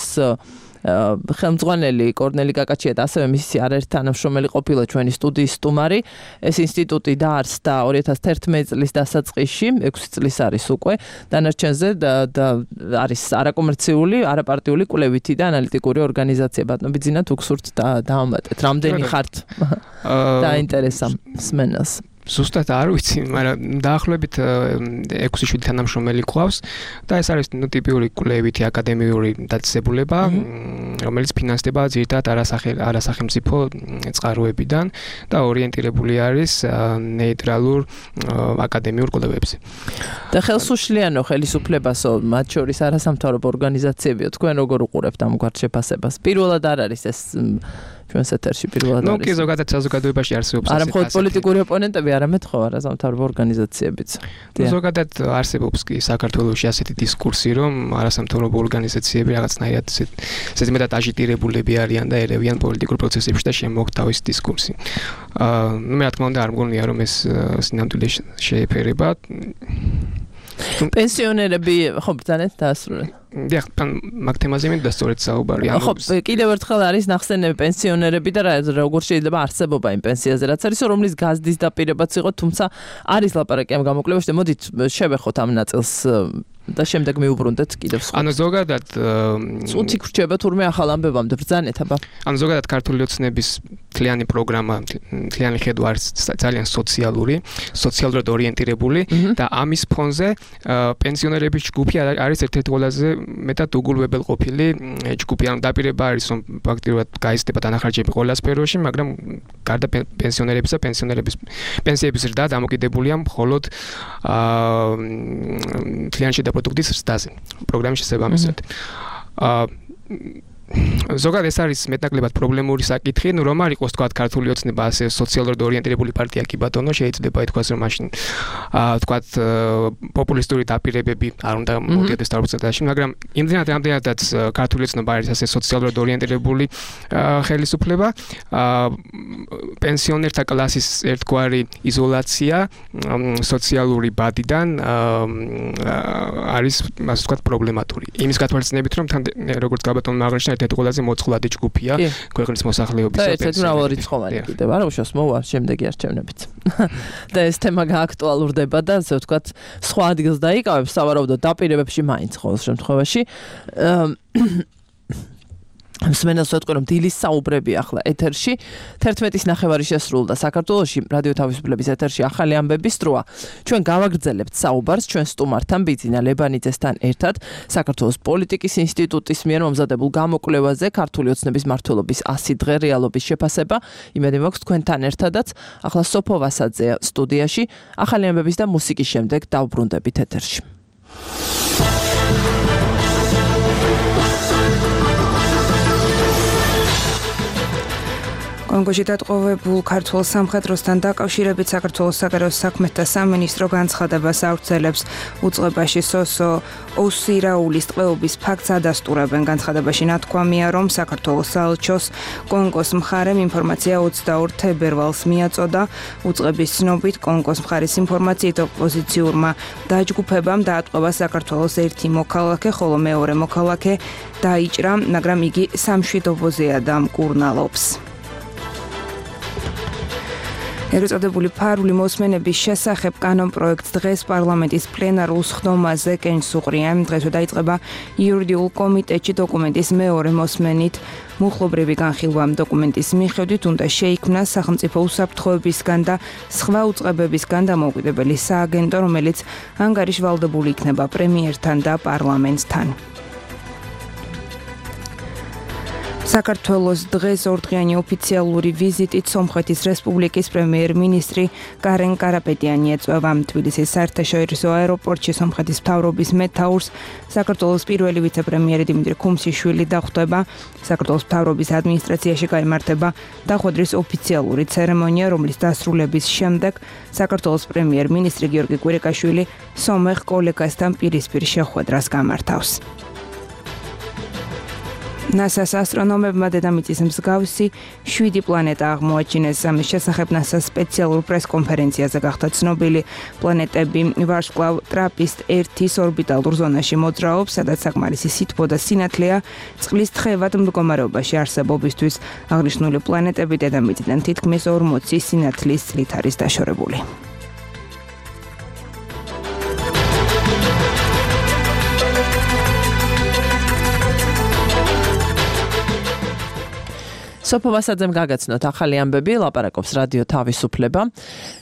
ხელმძღვანელი კორნელი კაკაჩია და ასევე მისი არაერთი თანამშრომელი ყოფილა ჩვენი სტუდიის სტუმარი ეს ინსტიტუტი დაარსდა 2011 წლის დასაწყისში 6 წლის არის უკვე დანარჩენზე და არის არაკომერციული არაპარტიული კვლევითი და ანალიტიკური ორგანიზაცია ბატონო ბიძინა თუ გსურთ დაამატეთ რამდენი ხართ დაინტერესა მსმენელს ზუსტად არ ვიცი, მაგრამ დაახლოებით 6-7 თანამშრომელი ყავს და ეს არის ტიპიური კვლევითი აკადემიური დაწესებულება, რომელიც ფინანსდება ძირითადად არასახელმწიფო წყაროებიდან და ორიენტირებული არის ნეიტრალურ აკადემიურ კვლევებზე. და ხელსუშლიანო ხელისუფლებასო, მათ შორის არასამთავრობო ორგანიზაციებიო, თქვენ როგორ უყურებთ ამგვარ შეფასებას? პირველად არ არის ეს ჩვენს ეთერში პირველად არის. ნუ კი ზოგადად საზოგადოებაში არსებობს არა მხოლოდ პოლიტიკური ოპონენტები, არამედ ხო არასამთავრობო ორგანიზაციებიც. ზოგადად არსებობს კი საქართველოში ასეთი დისკურსი, რომ არასამთავრობო ორგანიზაციები რაღაცნაირად ესეთი მეტად აჟიტირებულები არიან და ერევიან პოლიტიკურ პროცესებში და შემოაქვთ თავისი დისკურსი. მე რა თქმა უნდა არ მგონია რომ ეს სინამდვილეში შეეფერება. პენსიონერები ხო ბრძანეთ დაასრულეთ. დიახ, მაგ თემაზე მინდა სწორედ საუბარი. ხო, კიდევ ერთხელ არის ნახსენები პენსიონერები და როგორ შეიძლება არსებობა იმ პენსიაზე, რაც არის, რომლის გაზდის დაპირებაც იყო, თუმცა არის ლაპარაკი ამ გამოკვლევაში და მოდით შევეხოთ ამ ნაწილს და შემდეგ მივუბრუნდეთ კიდევ სხვა. ანუ ზოგადად წუთი გრჩება თურმე ახალ ამბებამდე ბრძანეთ აბა. ანუ ზოგადად ქართული ოცნების მთლიანი პროგრამა, მთლიანი ხედვა არის ძალიან სოციალურად ორიენტირებული და ამის ფონზე პენსიონერების ჯგუფი არის ერთ-ერთი ყველაზე მეტად უგულებელ ყოფილი ჯგუფი. ანუ დაპირება არის რომ ფაქტიურად გაიზრდება დანახარჯები ყველა სფეროში, მაგრამ გარდა პენსიონერებისა, პენსიონერების პენსიების ზრდა დამოკიდებულია მხოლოდ მთლიანი შედაპროდუქტის ზრდაზე. პროგრამის შესაბამისად. ზოგადად ეს არის მეტნაკლებად პრობლემური საკითხი, რომ არ იყოს თქვა ქართული ოცნება ასე სოციალურად ორიენტირებული პარტია კი ბატონო, შეიძლება ითქვას რომ მაშინ თქვა პოპულისტური დაპირებები არ უნდა მოდიოდეს თავბრუსადაში, მაგრამ იმდენადაც ქართული ოცნება არის ასე სოციალურად ორიენტირებული ხელისუფლება, პენსიონერთა კლასის ერთგვარი იზოლაცია სოციალური ბადიდან არის ასე ვთქვათ პრობლემატური. იმის გათვალისწინებით რომ თან როგორც გაბატონმა აღნიშნა ერთ-ერთი ყველაზე მოწყვლადი ჯგუფია ქვეყნის მოსახლეობის და ერთ-ერთი მრავალრიცხოვანი კიდევ არა უშავს მოვა შემდეგი არჩევნებით. და ეს თემა გააქტუალურდება და ასე ვთქვათ სხვა ადგილს დაიკავებს სავარაუდო დაპირებებში მაინც ყოველ შემთხვევაში. მსმენელს ვეთქვი რომ დილის საუბრები ახლა ეთერში 11-ის ნახევარი შესრულდა საქართველოში რადიო თავისუფლების ეთერში ახალი ამბების დროა. ჩვენ გავაგრძელებთ საუბარს ჩვენ სტუმართან ბიძინა ლებანიძესთან ერთად საქართველოს პოლიტიკის ინსტიტუტის მიერ მომზადებულ გამოკვლევაზე ქართული ოცნების მმართველობის 100 დღე რეალობის შეფასება. იმედი მაქვს თქვენთან ერთადაც. ახლა სოფო ვასაძეა სტუდიაში ახალი ამბების და მუსიკის შემდეგ დავბრუნდებით ეთერში. კონგოში დატყვევებულ ქართულ სამხედროსთან დაკავშირებით საქართველოს საგარეო საქმეთა სამინისტრო განცხადებას ავრცელებს. უწყებაში სოსო ოსირაულის ტყვეობის ფაქტს ადასტურებენ. განცხადებაში ნათქვამია, რომ საქართველოს საელჩოს კონგოს მხარემ ინფორმაცია 22 თებერვალს მიაწოდა. უწყების ცნობით კონგოს მხარის ინფორმაციით ოპოზიციურმა დაჯგუფებამ დაატყვევა საქართველოს ერთი მოქალაქე, ხოლო მეორე მოქალაქე დაიჭრა, მაგრამ იგი სამშვიდობოზეა და მკურნალობს. ერწოდებული ფარული მოსმენების შესახებ კანონპროექტს დღეს პარლამენტის პლენარულ სხდომაზე კენჭს უყრია. დღესვე დაიწყება იურიდიულ კომიტეტში დოკუმენტის მეორე მოსმენით. მუხლობრივი განხილვა დოკუმენტის მიხედვით უნდა შეიქმნას სახელმწიფო უსაფრთხოებისგან და სხვა უწყებებისგან დამოუკიდებელი სააგენტო, რომელიც ანგარიშვალდებული იქნება პრემიერთან და პარლამენტთან. საქართველოს დღეს ორდღიანი ოფიციალური ვიზიტით სომხეთის რესპუბლიკის პრემიერ-მინისტრი კარენ კარაპეტიანი ეწვევა. თბილისის საერთაშორისო აეროპორტში სომხეთის მთავრობის მეთაურს საქართველოს პირველი ვიცე-პრემიერი დიმიტრი ქუმსიშვილი დახვდება. საქართველოს მთავრობის ადმინისტრაციაში გაიმართება დახვედრის ოფიციალური ცერემონია, რომლის დასრულების შემდეგ საქართველოს პრემიერ-მინისტრი გიორგი კვირიკაშვილი სომეხ კოლეგასთან პირისპირ შეხვედრას გამართავს. NASA-ს ასტრონომებმა დედამიწის მსგავსი 7 პლანეტა აღმოაჩინეს. ამის შესახებ NASA-ს სპეციალურ პრეს-კონფერენციაზე გახდა ცნობილი. პლანეტები ვარსკვლავ ტრაპისტ-1-ის ორბიტალურ ზონაში მოძრაობს, სადაც საკმარისი სითბო და სინათლეა წყლის თხევად მდგომარეობაში არსებობისთვის. აღნიშნული პლანეტები დედამიწიდან თითქმის 40 სინათლის წლით არის დაშორებული. სოფო ვასაძემ გაგაცნოთ ახალი ამბები, ლაპარაკობს რადიო თავისუფლება.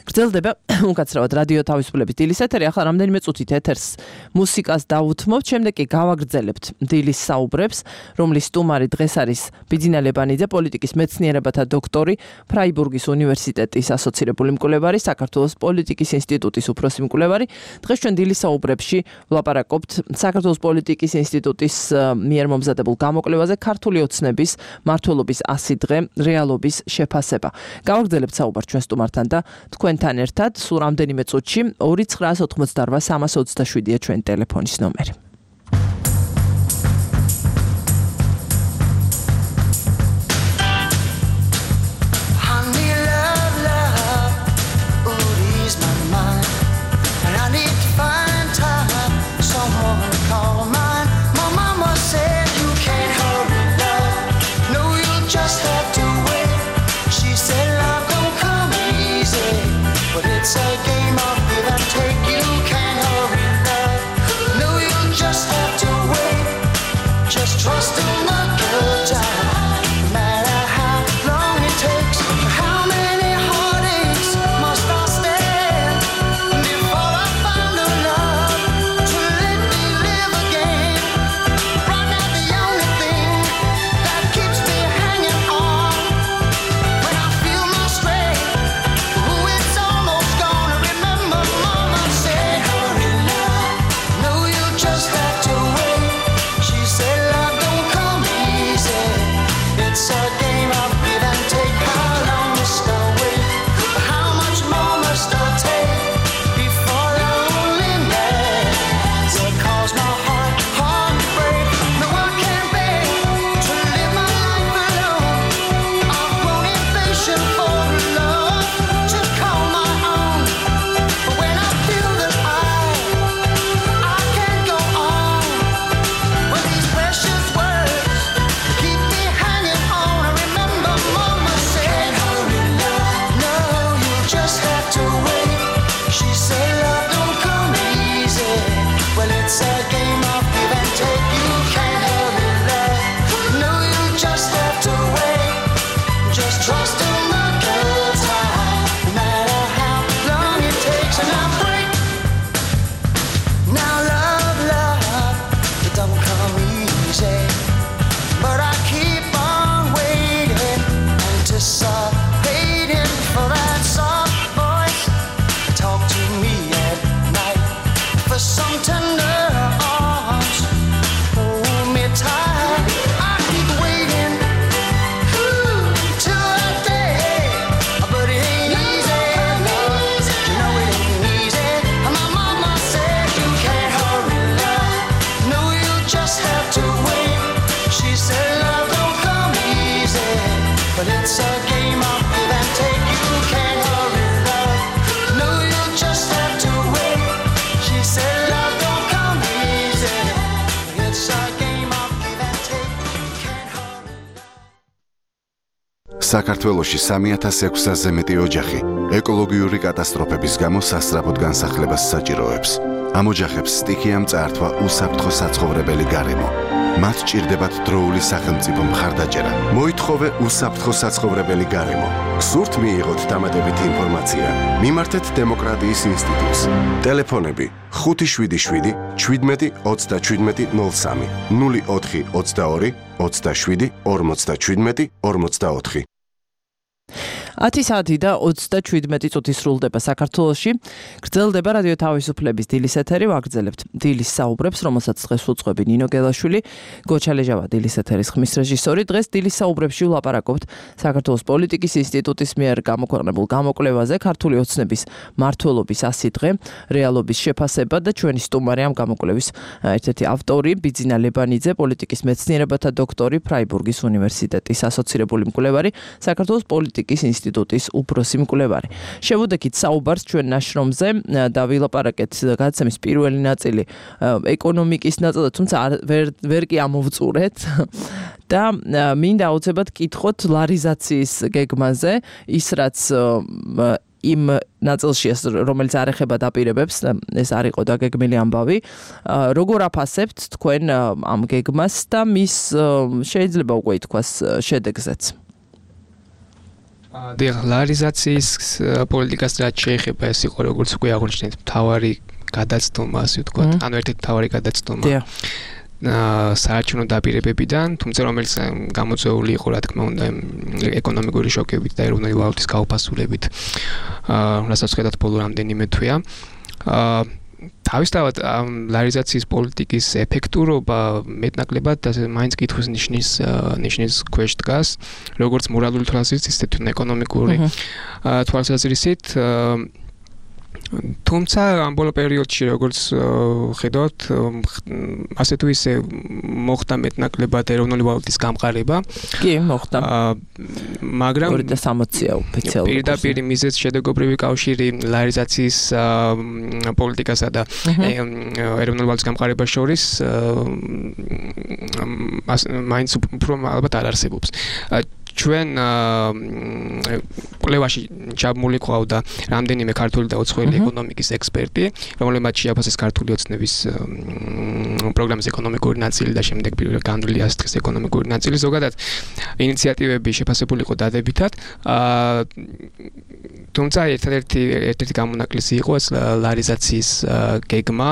გრძელდება უკაცრავად რადიო თავისუფლების დილის ეთერი. ახლა რამდენიმე წუთით ეთერს მუსიკას დავუთმობთ, შემდეგ კი გავაგრძელებთ დილის საუბრებს, რომლის სტუმარი დღეს არის ბიძინა ლებანიძე, პოლიტიკის მეცნიერებათა დოქტორი, ფრაიბურგის უნივერსიტეტის ასოცირებული მკვლევარი, საქართველოს პოლიტიკის ინსტიტუტის უფროსი მკვლევარი. დღეს ჩვენ დილის საუბრებში ვლაპარაკობთ საქართველოს პოლიტიკის ინსტიტუტის მიერ მომზადებულ გამოკვლევაზე ქართული ოცნების მმართველობის 100 დღე რეალობის შეფასება. გავაგრძელებთ საუბარს ჩვენ სტუმართან და თქვენთან ერთად სულ რამდენიმე წუთში 2988327-ია ჩვენი ტელეფონის ნომერი. It's a game of give and take. You can't hurry love. No, you'll საქართველოში 3600-ზე მეტი ოჯახი ეკოლოგიური კატასტროფების გამო სასწრაფოდ განსახლებას საჭიროებს. ამ ოჯახებს სტიქიამ წაართვა უსაფრთხო საცხოვრებელი გარემო. მათ ჭირდებათ დროული სახელმწიფო მხარდაჭერა. მოითხოვე უსაფრთხო საცხოვრებელი გარემო. გსურთ მიიღოთ დამატებითი ინფორმაცია? მიმართეთ დემოკრატიის ინსტიტუტს. ტელეფონები 577 17 37 03 04 22 27 57 44 10 საათი და 37 წუთი სრულდება საქართველოში. გრძელდება რადიო თავისუფლების დილის ეთერი, ვაგრძელებთ დილის საუბრებს, რომელსაც დღეს უძღვები ნინო გელაშვილი, გოჩალეჟავა დილის ეთერის ხმის რეჟისორი. დღეს დილის საუბრებში ვლაპარაკობთ საქართველოს პოლიტიკის ინსტიტუტის მიერ გამოქვეყნებულ გამოკვლევაზე, ქართული ოცნების მმართველობის 100 დღე, რეალობის შეფასება და ჩვენი სტუმარი ამ გამოკვლევის ერთ-ერთი ავტორი, ბიძინა ლებანიძე, პოლიტიკის მეცნიერებათა დოქტორი, ფრაიბურგის უნივერსიტეტის ასოცირებული მკვლევარი, საქართველოს პოლიტიკის ინსტიტუტის უფროსი მკვლევარი. შევუდექით საუბარს ჩვენ ნაშრომზე და ვილაპარაკეთ გადაცემის პირველი ნაწილი ეკონომიკის ნაწილი, თუმცა ვერ კი ამოვწურეთ და მინდა აუცილებლად კითხოთ ლარიზაციის გეგმაზე, ის რაც იმ ნაწილში, რომელიც არ ეხება დაპირებებს, ეს არ იყო დაგეგმილი ამბავი. როგორ აფასებთ თქვენ ამ გეგმას და მის შეიძლება უკვე ითქვას შედეგზეც? ლარიზაციის პოლიტიკას რაც შეეხება, ეს იყო როგორც უკვე აღნიშნეთ, მთავარი გადაცდომა, ასე ვთქვათ, ანუ ერთ-ერთი მთავარი გადაცდომა საარჩევნო დაპირებებიდან, თუმცა რომელიც გამოწვეული იყო, რა თქმა უნდა, ეკონომიკური შოკებით და ეროვნული ვალუტის გაუფასულებით, რასაც ხედავთ ბოლო რამდენიმე თვეა. თავისთავად ლარიზაციის პოლიტიკის ეფექტურობა მეტნაკლებად მაინც კითხვის ნიშნის ქვეშ დგას, როგორც მორალური თვალსაზრისით, ისე თვითონ ეკონომიკური თვალსაზრისით. თუმცა ამ ბოლო პერიოდში როგორც ხედავთ, ასე თუ ისე მოხდა მეტნაკლებად ეროვნული ვალუტის გამყარება. კი, მოხდა. მაგრამ 260-ია ოფიციალურად. პირდაპირ მიზეზ შედეგობრივი კავშირი ლარიზაციის პოლიტიკასა და ეროვნული ვალუტის გამყარებას შორის მაინც უფრო ალბათ არ არსებობს. ჩვენ კვლევაში ჩაბმული ყავდა რამდენიმე ქართული და უცხოელი ეკონომიკის ექსპერტი, რომლებმაც შეაფასეს ქართული ოცნების პროგრამის ეკონომიკური ნაწილი და შემდეგ განვლილი 100 დღის ეკონომიკური ნაწილი. ზოგადად ინიციატივები შეფასებული იყო დადებითად, თუმცა ერთ-ერთი გამონაკლისი იყო ეს ლარიზაციის გეგმა,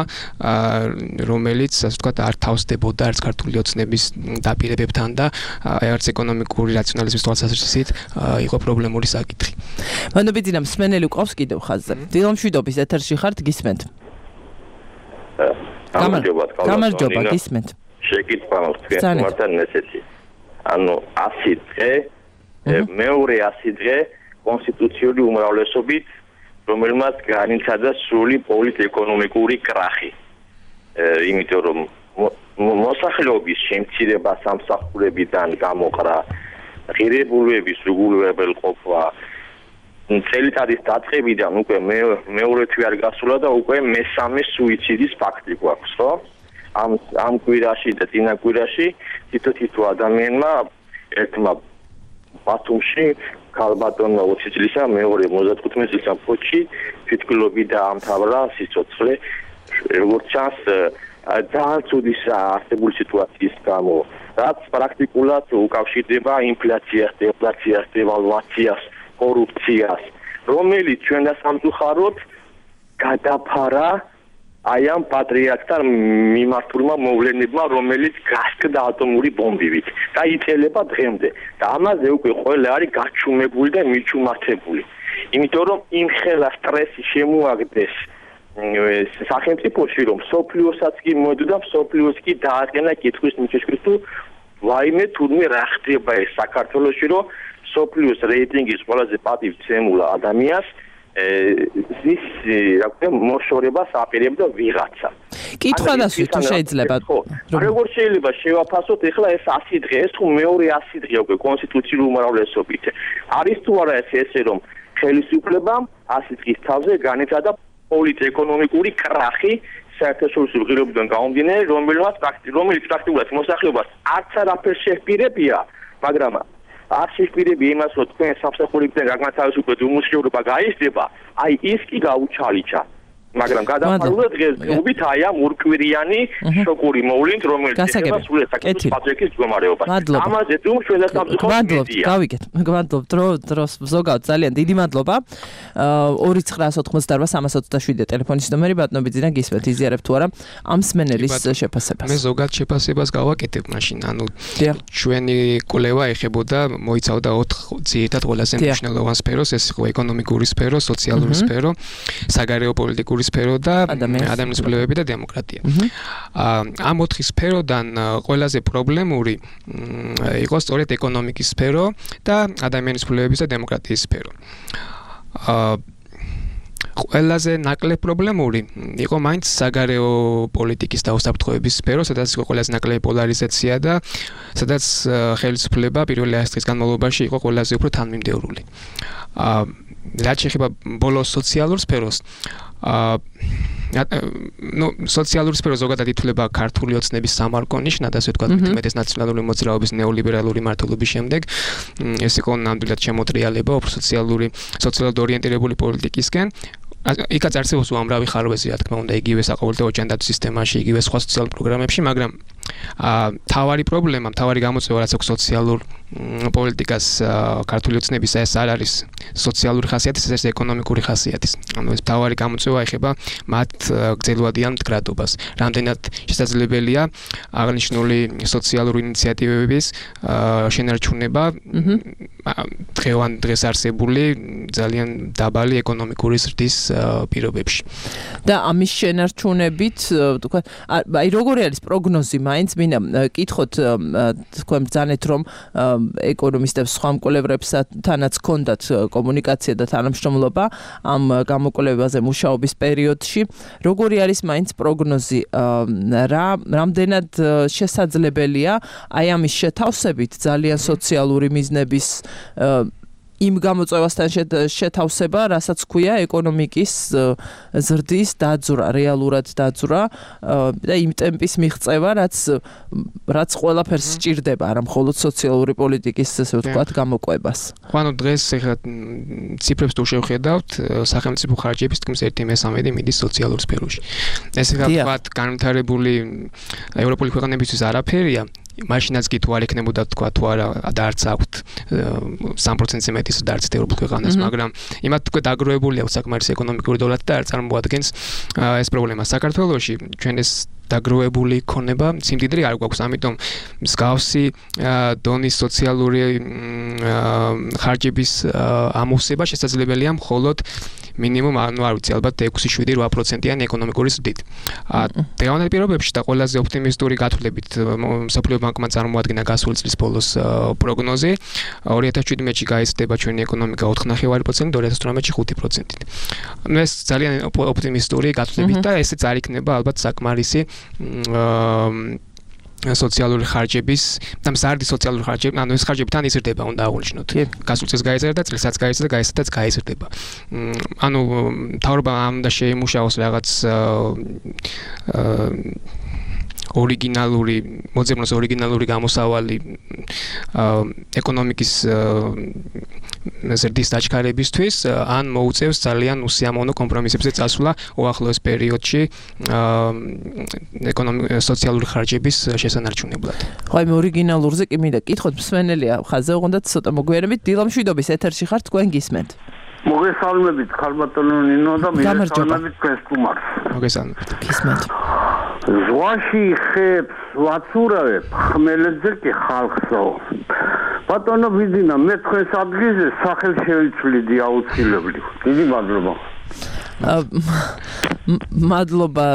რომელიც ასე ვთქვათ არ თავსდებოდა არც ქართული ოცნების დაპირებებთან და არც ეკონომიკური რაციონალიზმის თვალსაზრისით იყო პრობლემური საკითხი. მანობიძინამ სმენელი ყავს კიდევ ხაზზე. დილომშვიდობის ეთერში ხართ, გისმენთ? გამარჯობა, გისმენთ. შეკითხვა მაქვს თქვენთან ესეთი. ანუ 100 დღე, მეორე 100 დღე კონსტიტუციური უმრავლესობით, რომელმაც განიცადა სრული პოლიტ-ეკონომიკური კრახი. იმიტომ რომ მოსახლეობის შემცირება სამსახურებიდან გამოყრა, ღირებულებების უგულებელყოფა, წელიწადის დაწყებიდან უკვე მეორე თვე არ გასულა და უკვე მესამე სუიციდის ფაქტი გვაქვს, ხო? ამ კვირაში და წინა კვირაში თითო ადამიანმა ერთმა ბათუმში ქალბატონმა 20 წლისა, მეორე 35 წლისა ფოთში თვითმკვლელობით დაამთავრა სიცოცხლე. როგორც ჩანს, ძალიან ცუდი არსებული სიტუაციის გამო, რაც პრაქტიკულად უკავშირდება ინფლაციას, დეფლაციას, დევალვაციას, კორუფციას, რომელიც ჩვენ სამწუხაროდ გადაფარა აი ამ პატრიარქთან მიმართულმა მოვლენებმა, რომელიც გასკდა ატომური ბომბივით და იწელება დღემდე. და ამაზე უკვე ყველა არის გაჩუმებული და მიჩუმართებული. იმიტომ რომ იმხელა სტრესი შემოაგდეს სახელმწიფოში, რომ სოფლიოსაც კი მოედო და სოფლიოს კი დააყენა კითხვის ნიშნებს თუ ვაიმე თურმე რა ხდება ეს საქართველოში, რომ სოფლიოს რეიტინგის ყველაზე პატივცემულ ადამიანს ის რა ქვია მოშორებას აპირებდა ვიღაცა. კითხვა დასვით თუ შეიძლება. როგორ შეიძლება შევაფასოთ ეხლა ეს 100 დღე, ეს თუ მეორე 100 დღე უკვე კონსტიტუციური უმრავლესობით. არის თუ არა ესე რომ ხელისუფლებამ 100 დღის თავზე განიცადა პოლიტ-ეკონომიკური კრახი საერთაშორისო ღირებულებიდან გამომდინარე, რომელიც პრაქტიკულად მოსახლეობას არც არაფერს შეჰპირებია, მაგრამ არც პირები იმას რომ თქვენ სამსახურებიდან გაგმათავისუფლოთ უმუშევრობა გაიზრდება, აი ის კი გაუჩალიჩა. მაგრამ გადაფარულად დღესდღეობით აი ამ ორკვირიანი შოკური მოვლენით რომელიც ეხება სულ საკითხის პატრიკის მდგომარეობას. ამაზე თუ ჩვენ დავსახურებთ. გავიგეთ, დროს ზოგადად ძალიან დიდი მადლობა. 2988327 ტელეფონის ნომერი ბატონო ბიძინა გისმენთ იზიარებ თუ არა ამ სმენელის შეფასებას. მე ზოგადად შეფასებას გავაკეთებ მაშინ, ანუ ჩვენი კვლევა ეხებოდა მოიცავდა 4 ძირითად ყველაზე მნიშვნელოვან სფეროს, ეს იყო ეკონომიკური სფერო, სოციალური სფერო, საგარეო პოლიტიკური სფერო და ადამიანის კვლევები და დემოკრატია. ამ 4 სფეროდან ყველაზე პრობლემური იყო სწორედ ეკონომიკის სფერო და ადამიანის კვლევების და დემოკრატიის სფერო. ყველაზე ნაკლებ პრობლემური იყო მაინც საგარეო პოლიტიკის და უსაფრთხოების სფერო, სადაც იყო ყველაზე ნაკლები პოლარიზაცია და სადაც ხელისუფლება პირველი 100 წლის განმავლობაში იყო ყველაზე უფრო თანმიმდევრული. რაც შეეხება ბოლოს სოციალურ სფეროს, სოციალური სფერო ზოგადად ითვლება ქართული ოცნების სამარკო ნიშნად, ასე ვთქვათ, მეტეს ნაციონალური მოძრაობის ნეოლიბერალური მართლობის შემდეგ. ეს იყო ნამდვილად შემოტრიალება უფრო სოციალურად ორიენტირებული პოლიტიკისკენ. იქაც არსებობს უამრავი ხარვეზი, რა თქმა უნდა, იგივე საყოველთაო ჯანდაცვის სისტემაში, იგივე სხვა სოციალურ პროგრამებში, მაგრამ თავარი პრობლემა, თავარი გამოწვევა, რაც აქვს სოციალურ პოლიტიკას ქართული ოცნების ეს არ არის სოციალური ხასიათის, ეს ეკონომიკური ხასიათის. ანუ ეს თავარი გამოწვევა ეხება მათ გრძელვადიან მდგრადობას. რამდენად შესაძლებელია აღნიშნული სოციალური ინიციატივების შენარჩუნება დღეს არსებული ძალიან დაბალი ეკონომიკური ზრდის პირობებში. და ამის შენარჩუნებით, თქვა, აი როგორი არის პროგნოზი მაინც მინდა კითხოთ თქვენ ბრძანეთ რომ ეკონომისტებს სხვა მკვლევრებსათანაც ჰქონდათ კომუნიკაცია და თანამშრომლობა ამ გამოკვლევაზე მუშაობის პერიოდში. როგორი არის მაინც პროგნოზი, რამდენად შესაძლებელია აი ამის შეთავსებით ძალიან სოციალური მიზნების იმ გამოწვევასთან შეთავსება, რასაც ქვია ეკონომიკის ზრდის დაძვრა, რეალურად დაძვრა და იმ ტემპის მიღწევა, რაც ყველაფერს სჭირდება, არა მხოლოდ სოციალური პოლიტიკის, ესე ვთქვათ, გამოყვებას. ანუ დღეს ეხლა ციფრებს თუ შევხედავთ, სახელმწიფო ხარჯების თქმის 1/3 მიდის სოციალურ სფეროში. ეს ეხლა ვთქვათ, განვითარებული ევროპული ქვეყნებისთვის არაფერია. მაშინაც კი თუ არ ექნებოდა თქვა თუ არა და არც აქვთ 3%-ზე მეტის და არც ევროპულ ქვეყანას, მაგრამ იმათ თქვა დაგროვებული აქვს საკმარისი ეკონომიკური დოლარი და არ წარმოადგენს ეს პრობლემა. საქართველოში ჩვენ ეს დაგროვებული ქონება სიმდიდრე არ გვაქვს, ამიტომ მსგავსი დონის სოციალური ხარჯების ამოვსება შესაძლებელია მხოლოდ მინიმუმ, ანუ არ ვიცი, ალბათ 6-7-8%-იანი ეკონომიკური ზრდით. დღევანდელ პირობებში და ყველაზე ოპტიმისტური გათვლებით მსოფლიო ბანკმა წარმოადგინა გასული წლის ბოლოს პროგნოზი 2017-ში გაიზრდება ჩვენი ეკონომიკა 4.5%, 2018-ში 5%-ით. ანუ ეს ძალიან ოპტიმისტური გათვლებით და ესეც არ იქნება ალბათ საკმარისი სოციალური ხარჯების და მზარდი სოციალური ხარჯები, ანუ ეს ხარჯები თან იზრდება, უნდა აღვნიშნოთ. გასულ წელს გაიზარდა, წელსაც გაიზარდა და გაიზარდაც გაიზრდება. ანუ მთავრობა ამ და შეიმუშაოს რაღაც ორიგინალური, მოძებნოს ორიგინალური გამოსავალი ეკონომიკის ზრდის დაჩქარებისთვის, ან მოუწევს ძალიან უსიამოვნო კომპრომისებზე წასვლა უახლოეს პერიოდში სოციალური ხარჯების შესანარჩუნებლად. ხო, მე ორიგინალურზე კი მინდა კითხოთ, მსმენელია ხაზე უყონდათ ცოტა მოგვიანებით, დილა მშვიდობის ეთერში ხართ, თქვენ გისმენთ. მოგესალმებით, ხალბატონო ნინო და მოგესალმებით თქვენ სტუმარს. მოგესალმებით. გისმენთ. ზღვაში ხებს ვაცურავებ, ხმელეთზე კი ხალხსო. ბატონო ბიძინა, მე თქვენს ადგილზე სახელ შევიცვლიდი აუცილებლად. დიდი მადლობა. მადლობა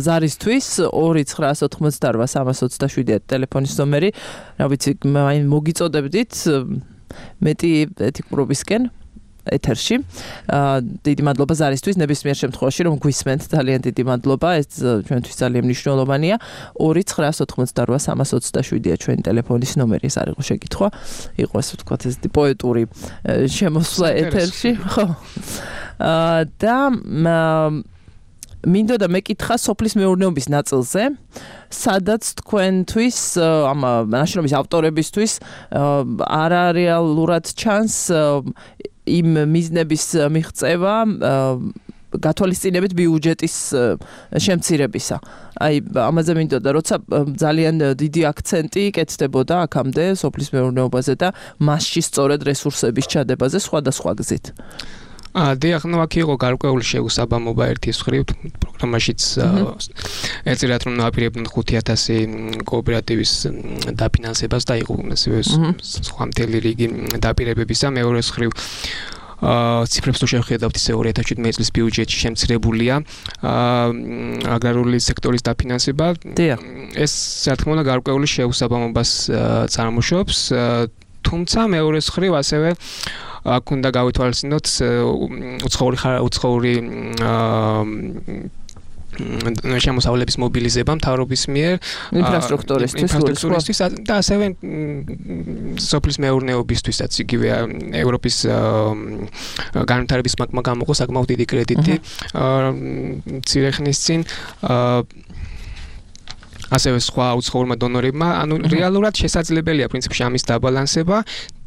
ზარისთვის 2988327 ტელეფონის ნომერი. რა ვიცი, მოგიწოდებდით მეტი ეთიკურობისკენ ეთერში. დიდი მადლობა ზარისთვის, ნებისმიერ შემთხვევაში რომ გვისმენთ, ძალიან დიდი მადლობა. ეს ჩვენთვის ძალიან მნიშვნელოვანია. 2988327 ჩვენი ტელეფონის ნომერი, ეს არ იყო შეკითხვა. იყო ასე ვთქვათ, ეს პოეტური შემოსვლა ეთერში, ხო. და მინდოდა მეკითხა სოფლის მეურნეობის ნაწილზე, სადაც თქვენთვის ამ ნაშრომის ავტორებისთვის არარეალურად ჩანს იმ მიზნების მიღწევა გათვალისწინებით ბიუჯეტის შემცირებისა. აი ამაზე მინდოდა, როცა ძალიან დიდი აქცენტი კეთდებოდა აქამდე სოფლის მეურნეობაზე და მასში სწორედ რესურსების ჩადებაზე სხვადასხვა გზით. დიახ, ნუ აქ იყო გარკვეული შეუსაბამობა ერთის მხრივ პროგრამაშიც ეწირათ რომ ნაპირებდნენ 5000 კოოპერატივის დაფინანსებას და იყო სხვა მთელი რიგი დაპირებებისა. მეორეს მხრივ ციფრებს თუ შევხედავთ ისე 2017 წლის ბიუჯეტში შემცირებულია აგრარული სექტორის დაფინანსება. ეს რა თქმა უნდა გარკვეული შეუსაბამობას წარმოშობს, თუმცა მეორეს მხრივ ასევე აქ უნდა გავითვალისწინოთ უცხოური შემოსავლების მობილიზება მთავრობის მიერ ინფრასტრუქტურისთვის და ასევე სოფლის მეურნეობისთვისაც იგივე ევროპის განვითარების ბანკმა გამოყო საკმაოდ დიდი კრედიტი მცირე ხნის წინ ასევე სხვა უცხოურმა დონორებმა, ანუ რეალურად შესაძლებელია პრინციპში ამის დაბალანსება,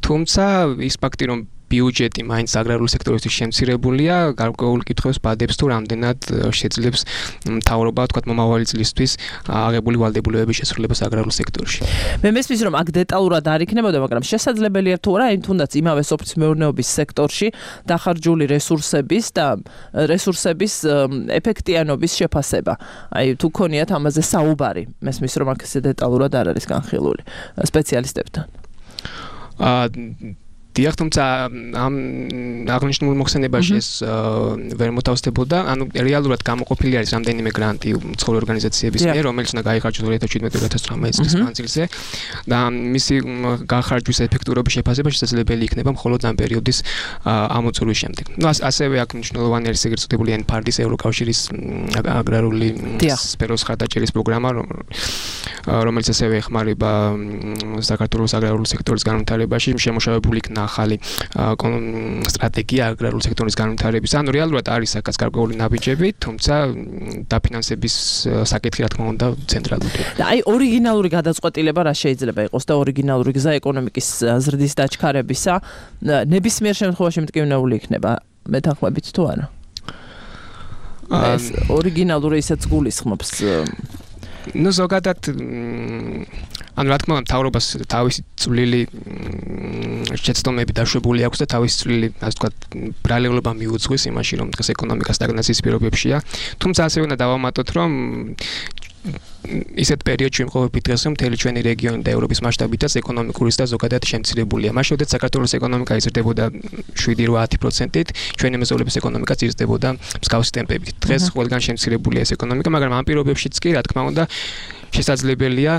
თუმცა ის ფაქტი რომ ბიუჯეტი მაინც აგრარული სექტორისთვის შემცირებულია, გარკვეულ კითხვებს ბადებს თუ რამდენად შეძლებს მთავრობა, თქვათ მომავალი წლისთვის აღებული ვალდებულებების შესრულებას აგრარულ სექტორში. მე მესმის რომ აქ დეტალურად არ იქნებოდა, მაგრამ შესაძლებელია თუ არა, თუნდაც იმავე სოფლის მეურნეობის სექტორში დახარჯული რესურსების და რესურსების ეფექტიანობის შეფასება. აი თუ ქონიათ ამაზე საუბარი, მესმის რომ აქ ესე დეტალურად არ არის განხილული სპეციალისტებთან. დიახ, თუმცა ამ აღნიშნულ მოხსენებაში ეს ვერ მოთავსდებოდა, ანუ რეალურად გამოყოფილი არის რამდენიმე გრანტი უცხოური ორგანიზაციების მიერ, რომელიც უნდა გაიხარჯოს 2017-2018 წლის მანძილზე და მისი გახარჯვის ეფექტურობის შეფასება შესაძლებელი იქნება მხოლოდ ამ პერიოდის ამოწურვის შემდეგ. ნუ ასევე აქ მნიშვნელოვანი არის ეგრეთ წოდებული NPARD-ის ევროკავშირის აგრარული სფეროს ხარდაჭერის პროგრამა, რომელიც ასევე ეხმარება საქართველოს აგრარული სექტორის განვითარებაში, შემუშავებული იქნა ახალი სტრატეგია აგრარული სექტორის განვითარების. ანუ რეალურად არის აქაც გარკვეული ნაბიჯები, თუმცა დაფინანსების საკითხი რა თქმა უნდა ცენტრალური. და აი ორიგინალური გადაწყვეტილება რა შეიძლება იყოს და ორიგინალური გზა ეკონომიკის ზრდის დაჩქარებისა ნებისმიერ შემთხვევაში მტკივნეული იქნება მეთანხმებით თუ არა? ეს ორიგინალური ისეც გულისხმობს ნუ ზოგადად ანუ რა თქმა უნდა მთავრობას თავისი წვლილი შეცდომები დაშვებული აქვს და თავისი წვლილი ასე ვთქვათ ბრალეულობა მიუძღვის იმაში რომ დღეს ეკონომიკა სტაგნაციის პირობებშია, თუმცა ასევე უნდა დავამატოთ რომ ისეთ პერიოდში ვიმყოფებით დღეს რომ მთელი ჩვენი რეგიონი და ევროპის მასშტაბითაც ეკონომიკური და ზოგადად შემცირებულია. მაშინ როდესაც საქართველოს ეკონომიკა იზრდებოდა 7-8%-ით, ჩვენი მეზობლების ეკონომიკაც იზრდებოდა მსგავსი ტემპებით. დღეს ყველგან შემცირებულია ეს ეკონომიკა, მაგრამ ამ პირობებშიც კი რა თქმა უნდა შესაძლებელია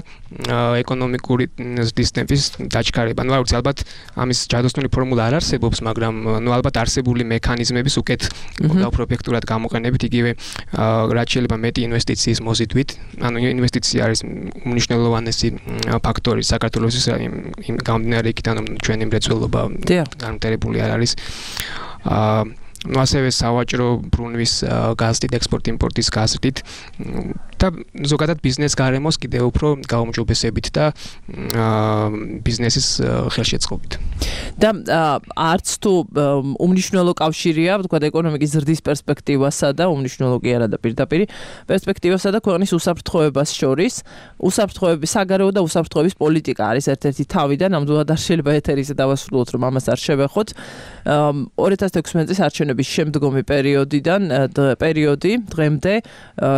ეკონომიკური ზრდის ტემპის დაჩქარება. ნუ არ ვიცი, ალბათ ამის ჯადოსნური ფორმულა არ არსებობს, მაგრამ ნუ ალბათ არსებული მექანიზმების უკეთ უფრო ეფექტურად გამოყენებით, იგივე რაც შეიძლება მეტი ინვესტიციის მოზიდვით, ანუ ინვესტიცია არის უმნიშვნელოვანესი ფაქტორი საქართველოსის იმ გამდინარე იქიდან რომ ჩვენი მრეწველობა განვითარებული არ არის. ნუ ასევე სავაჭრო ბრუნვის გაზრდით, ექსპორტ-იმპორტის გაზრდით და ზოგადად ბიზნეს გარემოს კიდევ უფრო გაუმჯობესებით და ბიზნესის ხელშეწყობით. და არც თუ უმნიშვნელო კავშირია, ვთქვათ, ეკონომიკის ზრდის პერსპექტივასა და უმნიშვნელო კი არა და პირდაპირ პერსპექტივასა და ქვეყნის უსაფრთხოებას შორის, უსაფრთხოების საგარეო და უსაფრთხოების პოლიტიკა არის ერთ-ერთი თავი და ნამდვილად არ შეიძლება ეთერიზე დავასრულოთ, რომ ამას არ შევეხოთ. 2016 წლის არჩევნების შემდგომი პერიოდი დღემდე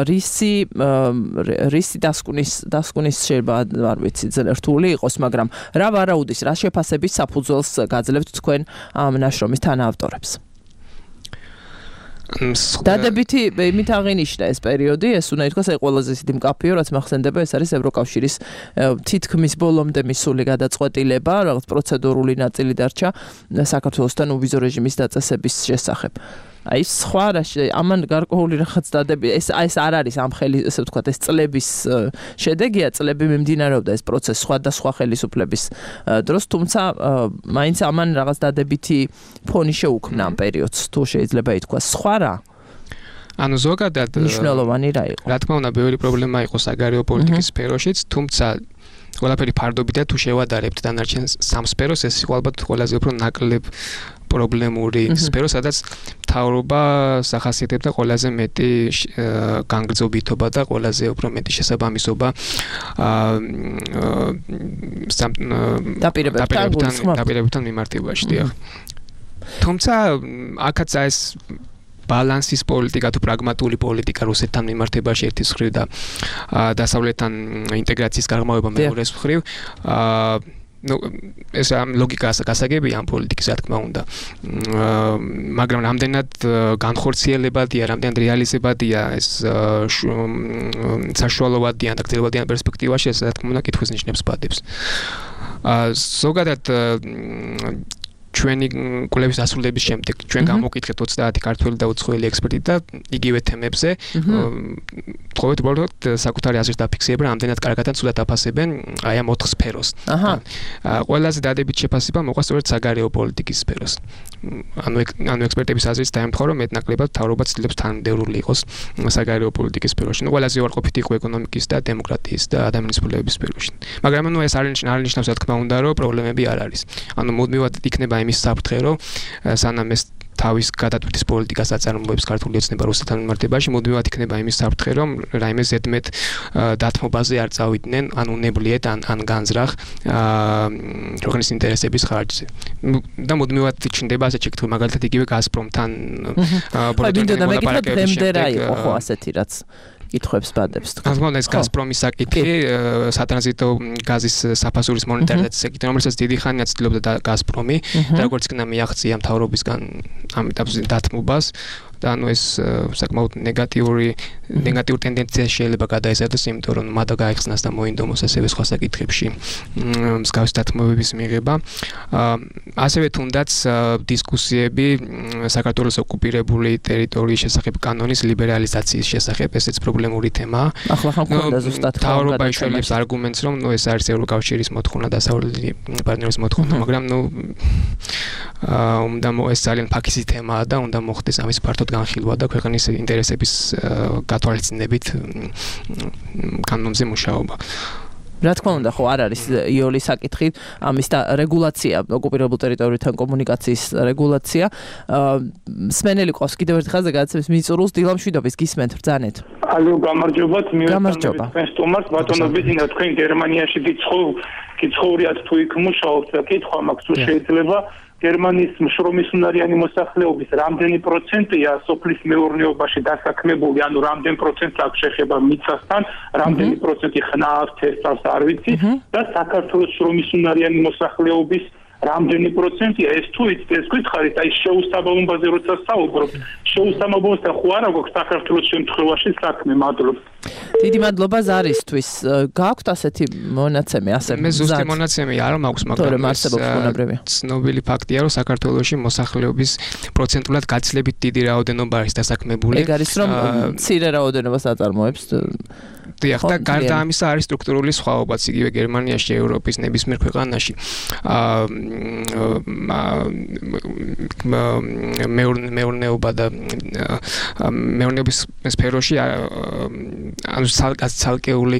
რისი დასკვნის შეიძლება არ ვიცი ძალიან რთული იყოს, მაგრამ რა ვარაუდის, რა შეფასების საფუძველს გაძლევთ თქვენ ამ ნაშრომის თანაავტორებს? დადებითი იმით აღინიშნა ეს პერიოდი, ეს უნდა ითქვას აი ყველაზე ისეთი მკაფიო, რაც მახსენდება, ეს არის ევროკავშირის თითქმის ბოლომდე მისული გადაწყვეტილება, რაღაც პროცედურული ნაწილი დარჩა საქართველოსთან უვიზო რეჟიმის დაწესების შესახებ. აი სხვა ამან გარკვეული რაღაც დადები ეს არ არის ამ ესე ვთქვათ ეს წლების შედეგია, წლები მიმდინარეობდა ეს პროცესი სხვადასხვა ხელისუფლების დროს, თუმცა მაინც ამან რაღაც დადებითი ფონი შეუქმნა ამ პერიოდს, თუ შეიძლება ითქვას. სხვა რა? ანუ ზოგადად მნიშვნელოვანი რა იყო? რა თქმა უნდა, ბევრი პრობლემა იყო საგარეო პოლიტიკის სფეროშიც, თუმცა ყველაფერი ფარდობითაა თუ შევადარებთ დანარჩენ სამ სფეროს, ეს იყო ალბათ ყველაზე უფრო ნაკლებ პრობლემური სფერო, სადაც მთავრობა სახასიათებდა ყველაზე მეტი განგრძობითობა და ყველაზე უფრო მეტი შესაბამისობა დაპირებებთან მიმართებაში, დიახ. თუმცა აქაც ეს ბალანსის პოლიტიკა თუ პრაგმატული პოლიტიკა რუსეთთან მიმართებაში ერთის მხრივ და დასავლეთთან ინტეგრაციის გაღრმავება მეორეს მხრივ ეს ლოგიკაა გასაგებია ამ პოლიტიკის, რა თქმა უნდა. მაგრამ რამდენად განხორციელებადია, რამდენად რეალიზებადია ეს საშუალებადიან და გრძელებადიან პერსპექტივაში, ეს რა თქმა უნდა კითხვის ნიშნებს ბადებს. ზოგადად ჩვენი კვლევის დასრულების შემდეგ ჩვენ გამოვკითხეთ 30 ქართველი და უცხოელი ექსპერტი და იგივე თემებზე თხოვეთ უბრალოდ საკუთარი აზრის დაფიქსირება, რამდენად კარგად ან ცუდად აფასებენ აი ამ 4 სფეროს. ყველაზე დადებით შეფასება მოყვა სწორედ საგარეო პოლიტიკის სფეროს. ანუ ექსპერტების აზრით დაემთხვა, რომ მეტნაკლებად მთავრობა ცდილობს თანმიმდევრული იყოს საგარეო პოლიტიკის სფეროში. ყველაზე უარყოფითი იყო ეკონომიკის და დემოკრატიის და ადამიანის უფლებების სფეროში. მაგრამ ეს არ ნიშნავს, რა თქმა უნდა, რომ პრობლემები არ არის. ანუ მუდმივად იქნება იმის საფრთხე, რომ სანამ ეს თავის გადატვირთვის პოლიტიკას აწარმოებს ქართული ოცნება რუსეთთან მიმართებაში, მუდმივად იქნება იმის საფრთხე, რომ რაიმე ზედმეტ დათმობაზე არ წავიდნენ, ან უნებლიეთ, ან განზრახ ქვეყნის ინტერესების ხარჯზე. და მუდმივად ჩნდება ასეთ შეკითხვა, მაგალითად იგივე გაზპრომთან მოლაპარაკებების შემდეგ ხო ასეთი რაც კითხვებს ბადებს. თქმა უნდა, ეს გაზპრომის საკითხი, სატრანზიტო გაზის საფასურის მონეტარიზაციის საკითხი, რომელსაც დიდი ხანია ცდილობდა გაზპრომი, და როგორც კი მიაღწია მთავრობისგან ამ ეტაპზე დათმობას, და ანუ ეს საკმაოდ ნეგატიური ტენდენცია შეიძლება გადაიზარდოს, იმიტომ რომ მათი გაიხსნას და მოინდომოს ასევე სხვა საკითხებში მსგავსი დათმობების მიღება. ასევე თუნდაც დისკუსიები საქართველოს ოკუპირებული ტერიტორიის შესახებ კანონის ლიბერალიზაციის შესახებ, ესეც პრობლემური თემაა. ახლა ხან მქონდა ზუსტად მთავრობა იშველებს არგუმენტს, რომ ეს არის ევროკავშირის მოთხოვნა, დასავლელი პარტნიორის მოთხოვნა, მაგრამ ეს ძალიან ფაქიზი თემაა და უნდა მოხდეს ამის ფართო განხილვა და ქვეყნის ინტერესების გათვალისწინებით კანონზე მუშაობა. რა თქმა უნდა, ხო არ არის იოლის საკითხი, ამის და რეგულაცია, ოკუპირებულ ტერიტორიებთან კომუნიკაციის რეგულაცია. სმენელი ყავს კიდევ ერთ ხაზზე გადაცემის მიწურულს, დილამშვიდობის გისმენთ ბრძანეთ. ალო, გამარჯობათ, მიუხედავად სტუმარს, ბატონო ბიზინა, თქვენ გერმანიაში გიცხოვრიათ თუ იქ მუშაობთ და კითხვა მაქვს, თუ შეიძლება გერმანიის შრომის უნარიანი მოსახლეობის რამდენი პროცენტია სოფლის მეურნეობაში დასაქმებული, ანუ რამდენი პროცენტი აქვს შეხება მიწასთან, რამდენი პროცენტი ხნავს, თესავს, არ ვიცი, და საქართველოს შრომის უნარიანი მოსახლეობის რამდენი პროცენტია, ეს თუ იცით, ეს გითხარით, აი შეუსაბამობაზე როცა საუბრობთ, შეუსაბამობასთან ხო არა გვაქვს საქართველოს შემთხვევაში საქმე, მადლობთ. დიდი მადლობა ზარისთვის. გააქვთ ასეთი მონაცემი, ასე მე ზუსტი მონაცემი არ მაქვს, მაგრამ ცნობილი ფაქტია, რომ საქართველოში მოსახლეობის პროცენტულად გაცილებით დიდი რაოდენობა არის დასაქმებული. ეგ არის, რომ მცირე რაოდენობას აწარმოებს. დიახ, და გარდა ამისა არის სტრუქტურული სხვაობაც იგივე გერმანიაში, ევროპის ნებისმიერ ქვეყანაში. მეურნეობა და მეურნეობის სფეროში ანუ ცალკეული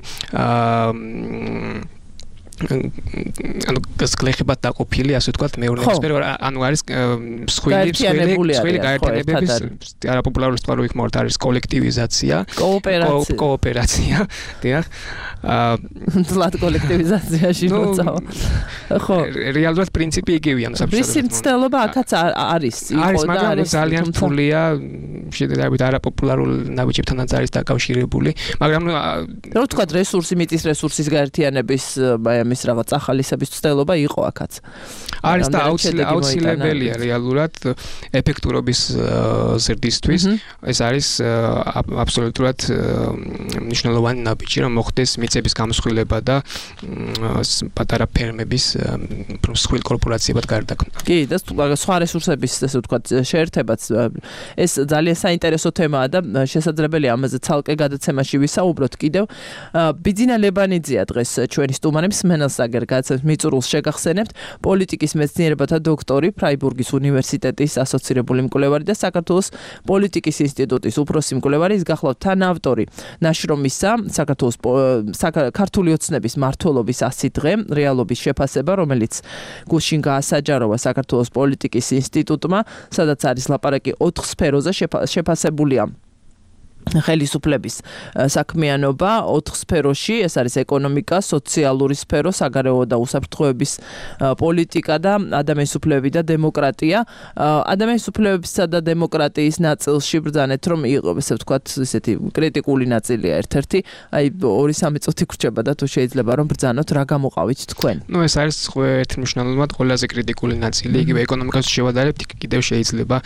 ანუ გასგლეხებად დაყოფილი, ასე ვთქვათ, მეურნეობის სფერო, ანუ არის მსხვილი გაერთიანებების არაპოპულარული სიტყვა იქ მოვართ, არის კოლექტივიზაცია, კოოპერაცია, დიახ. ზლად კოლექტივიზაციაში მოწავა. ხო, რეალურად პრინციპი იგივეა, საბჭოთა მცდელობა აქაც არის, მაგრამ ძალიან რთულია, შედარებით არაპოპულარულ ნაბიჯებთანაც არის დაკავშირებული, მაგრამ რა ვთქვათ, მიწის რესურსის გაერთიანების მის რაღაც ახალისების ცდელობა იყო აქაც. არის და აუცილებელია რეალურად ეფექტურობის ზრდისთვის. ეს არის აბსოლუტურად მნიშვნელოვანი ნაბიჯი, რომ მოხდეს მიწების გამოსხვილება და პატარა ფერმების მსხვილ კორპორაციებად გარდაქმნა. კი, და სხვა რესურსების, ესე ვთქვათ, შეერთებაც ეს ძალიან საინტერესო თემაა და შესაძლებელია ამაზე ცალკე გადაცემაში ვისაუბროთ კიდევ. ბიძინა ლებანიძეა დღეს ჩვენი სტუმარი. მსმენელს აგერგაცებს მიწურულს შეგახსენებთ პოლიტიკის მეცნიერებათა დოქტორი ფრაიბურგის უნივერსიტეტის ასოცირებული მკვლევარი და საქართველოს პოლიტიკის ინსტიტუტის უფროსი მკვლევარი ის გახლავთ თანაავტორი ნაშრომისა საქართველოს ქართული ოცნების მმართველობის 100 დღე რეალობის შეფასება რომელიც გუშინ გაასაჯაროვა საქართველოს პოლიტიკის ინსტიტუტმა სადაც არის ლაპარაკი 4 სფეროზე შეფასებულია ხელისუფლების საქმიანობა 4 სფეროში, ეს არის ეკონომიკა, სოციალური სფერო, საგარეო და უსაფრთხოების პოლიტიკა და ადამიანის უფლებები და დემოკრატია. ადამიანის უფლებებისა და დემოკრატიის ნაწილში ბრძანეთ, რომ იყო, ესე ვთქვათ, ესეთი კრიტიკული ნაწილია ერთ-ერთი, აი 2-3 წუთი გრჩება და თუ შეიძლება რომ ბრძანოთ, რა გამოყავით თქვენ? ნუ ეს არის ერთმნიშვნელოვნად ყველაზე კრიტიკული ნაწილი, იგივე ეკონომიკას შევადარებთ, კიდევ შეიძლება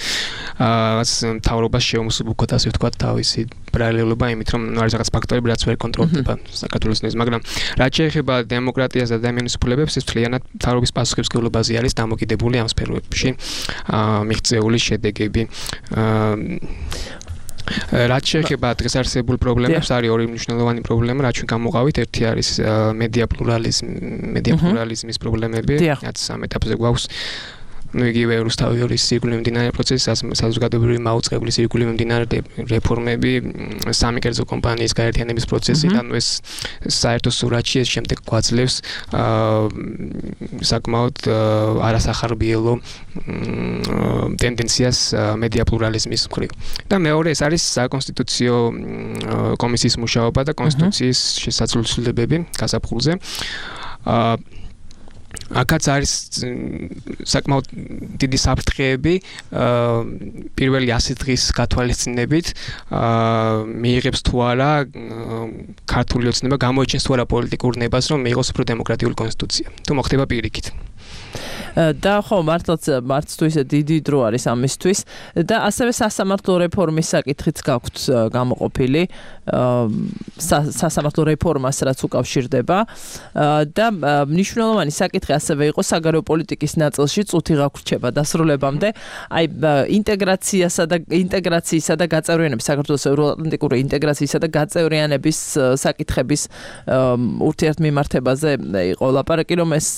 რაღაც მთავრობას შეუმსუბუქოთ, ასე ვთქვათ, თავისი paralelობა იმით რომ არის რაღაც ფაქტორები რაც ვერ კონტროლდება საქართველოს ნეზ მაგრამ რაც შეეხება დემოკრატიას და ადამიანის უფლებებს ეს მთლიანად მთავრობის პასუხისმგებლობაზე არის დამოკიდებული ამ სფეროებში მიღწეული შედეგები რაც შეეხება დღეს არსებულ პრობლემებს არის ორი მნიშვნელოვანი პრობლემა რაც ჩვენ გამოყავით ერთი არის მედია პლურალიზმის პრობლემები რაც ამ ეტაპზე გვაქვს ну იგივე რუსთავის სირგულე მიმდინარე პროცესი საზოგადოებრივი მაუწყებლი სირგულე მიმდინარე რეფორმები სამი კერძო კომპანიის გაერთიანების პროცესი და ნუ ეს საერთო სურათში ეს შემდეგ გვაძლევს საკმაოდ არასახარბიელო ტენდენციას მედია პლურალიზმის მხრივ და მეორე ეს არის საკონსტიტუციო კომისიის მუშაობა და კონსტიტუციის შესაძლებლობები გაზაფხულზე აქაც არის საკმაოდ დიდი საფრთხეები პირველი 100 დღის გათვალისწინებით მიიღებს თუ არა ქართული ოცნება გამოიჩენს თუ არა პოლიტიკურ ნებას რომ მიიღოს უფრო დემოკრატიული კონსტიტუცია თუ მოხდება პირიქით და ხო მართლაც თუ ისე დიდი დრო არის ამისთვის და ასევე სასამართლო რეფორმის საკითხიც გაქვთ გამოყოფილი სასამართლო რეფორმას რაც უკავშირდება და მნიშვნელოვანი საკითხი ასევე იყო საგარეო პოლიტიკის ნაწილში წუთი გაგვრჩება დასრულებამდე აი ინტეგრაციისა და გაწევრიანების საქართველოს ევროატლანტიკური ინტეგრაციისა და გაწევრიანების საკითხების ურთიერთმიმართებაზე იყო ლაპარაკი რომ ეს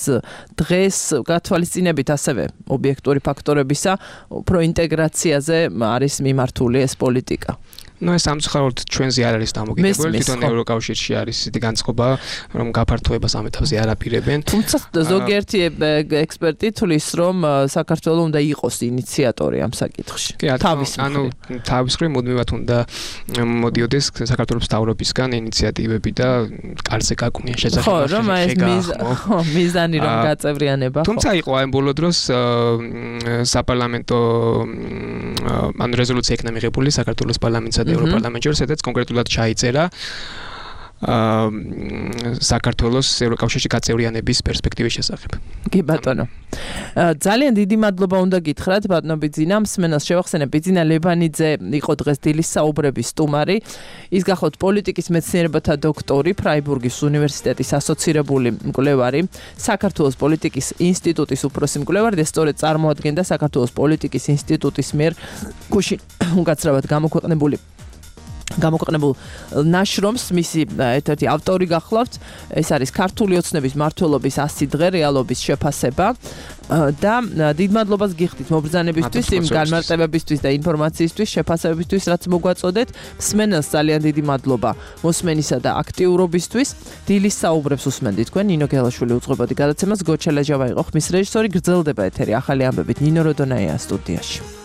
დღეს გათვალისწინებით ასევე ობიექტური ფაქტორებისა უფრო ინტეგრაციაზე არის მიმართული ეს პოლიტიკა ну ეს სამწუხაროდ ჩვენზე არ არის დამოკიდებული თვითონ ევროკავშირში არის ისეთი განწყობა რომ გაფართოებას ამ ეტაპზე არ აპირებენ თუმცა ზოგიერთი ექსპერტი თვლის რომ საქართველოს უნდა იყოს ინიციატორი ამ საკითხში თავის მხრივ მუდმივად უნდა მოდიოდეს საქართველოს მთავრობისგან ინიციატივები და კარზე გაკვნიან შესაძლებლობა ხო რომ ეს მიზანი რომ გაწევრიანება ხო თუმცა იყო აი ბოლო დროს საპარლამენტო ანუ რეზოლუცია იქნა მიღებული საქართველოს პარლამენტსა და ევროპარლამენტში სადაც კონკრეტულად ჩაიწერა საქართველოს ევროკავშირში გაწევრიანების პერსპექტივის შესახებ. კი ბატონო. ძალიან დიდი მადლობა უნდა გითხრათ ბატონო ბიძინა, მსმენელს შევახსენებ ბიძინა ლებანიძე იყო დღეს დილის საუბრების სტუმარი. ის გახლავთ პოლიტიკის მეცნიერებათა დოქტორი, ფრაიბურგის უნივერსიტეტის ასოცირებული მკვლევარი, საქართველოს პოლიტიკის ინსტიტუტის უფროსი მკვლევარი და სწორედ წარმოადგენდა საქართველოს პოლიტიკის ინსტიტუტის მიერ გუშინ უკაცრავად გამოქვეყნებულ ნაშრომს მისი ერთ-ერთი ავტორი გახლავთ ეს არის ქართული ოცნების მმართველობის 100 დღე რეალობის შეფასება და დიდ მადლობას გიხდით მობრძანებისთვის იმ განმარტებებისთვის და ინფორმაციისთვის შეფასებებისთვის რაც მოგვაწოდეთ მსმენელს ძალიან დიდი მადლობა მოსმენისა და აქტიურობისთვის დილის საუბრებს უსმენდით თქვენ ნინო გელაშვილი უძღვებოდი გადაცემას გოჩელაჟავა იყო ხმის რეჟისორი გრძელდება ეთერი ახალი ამბებით ნინო როდონაია სტუდიაში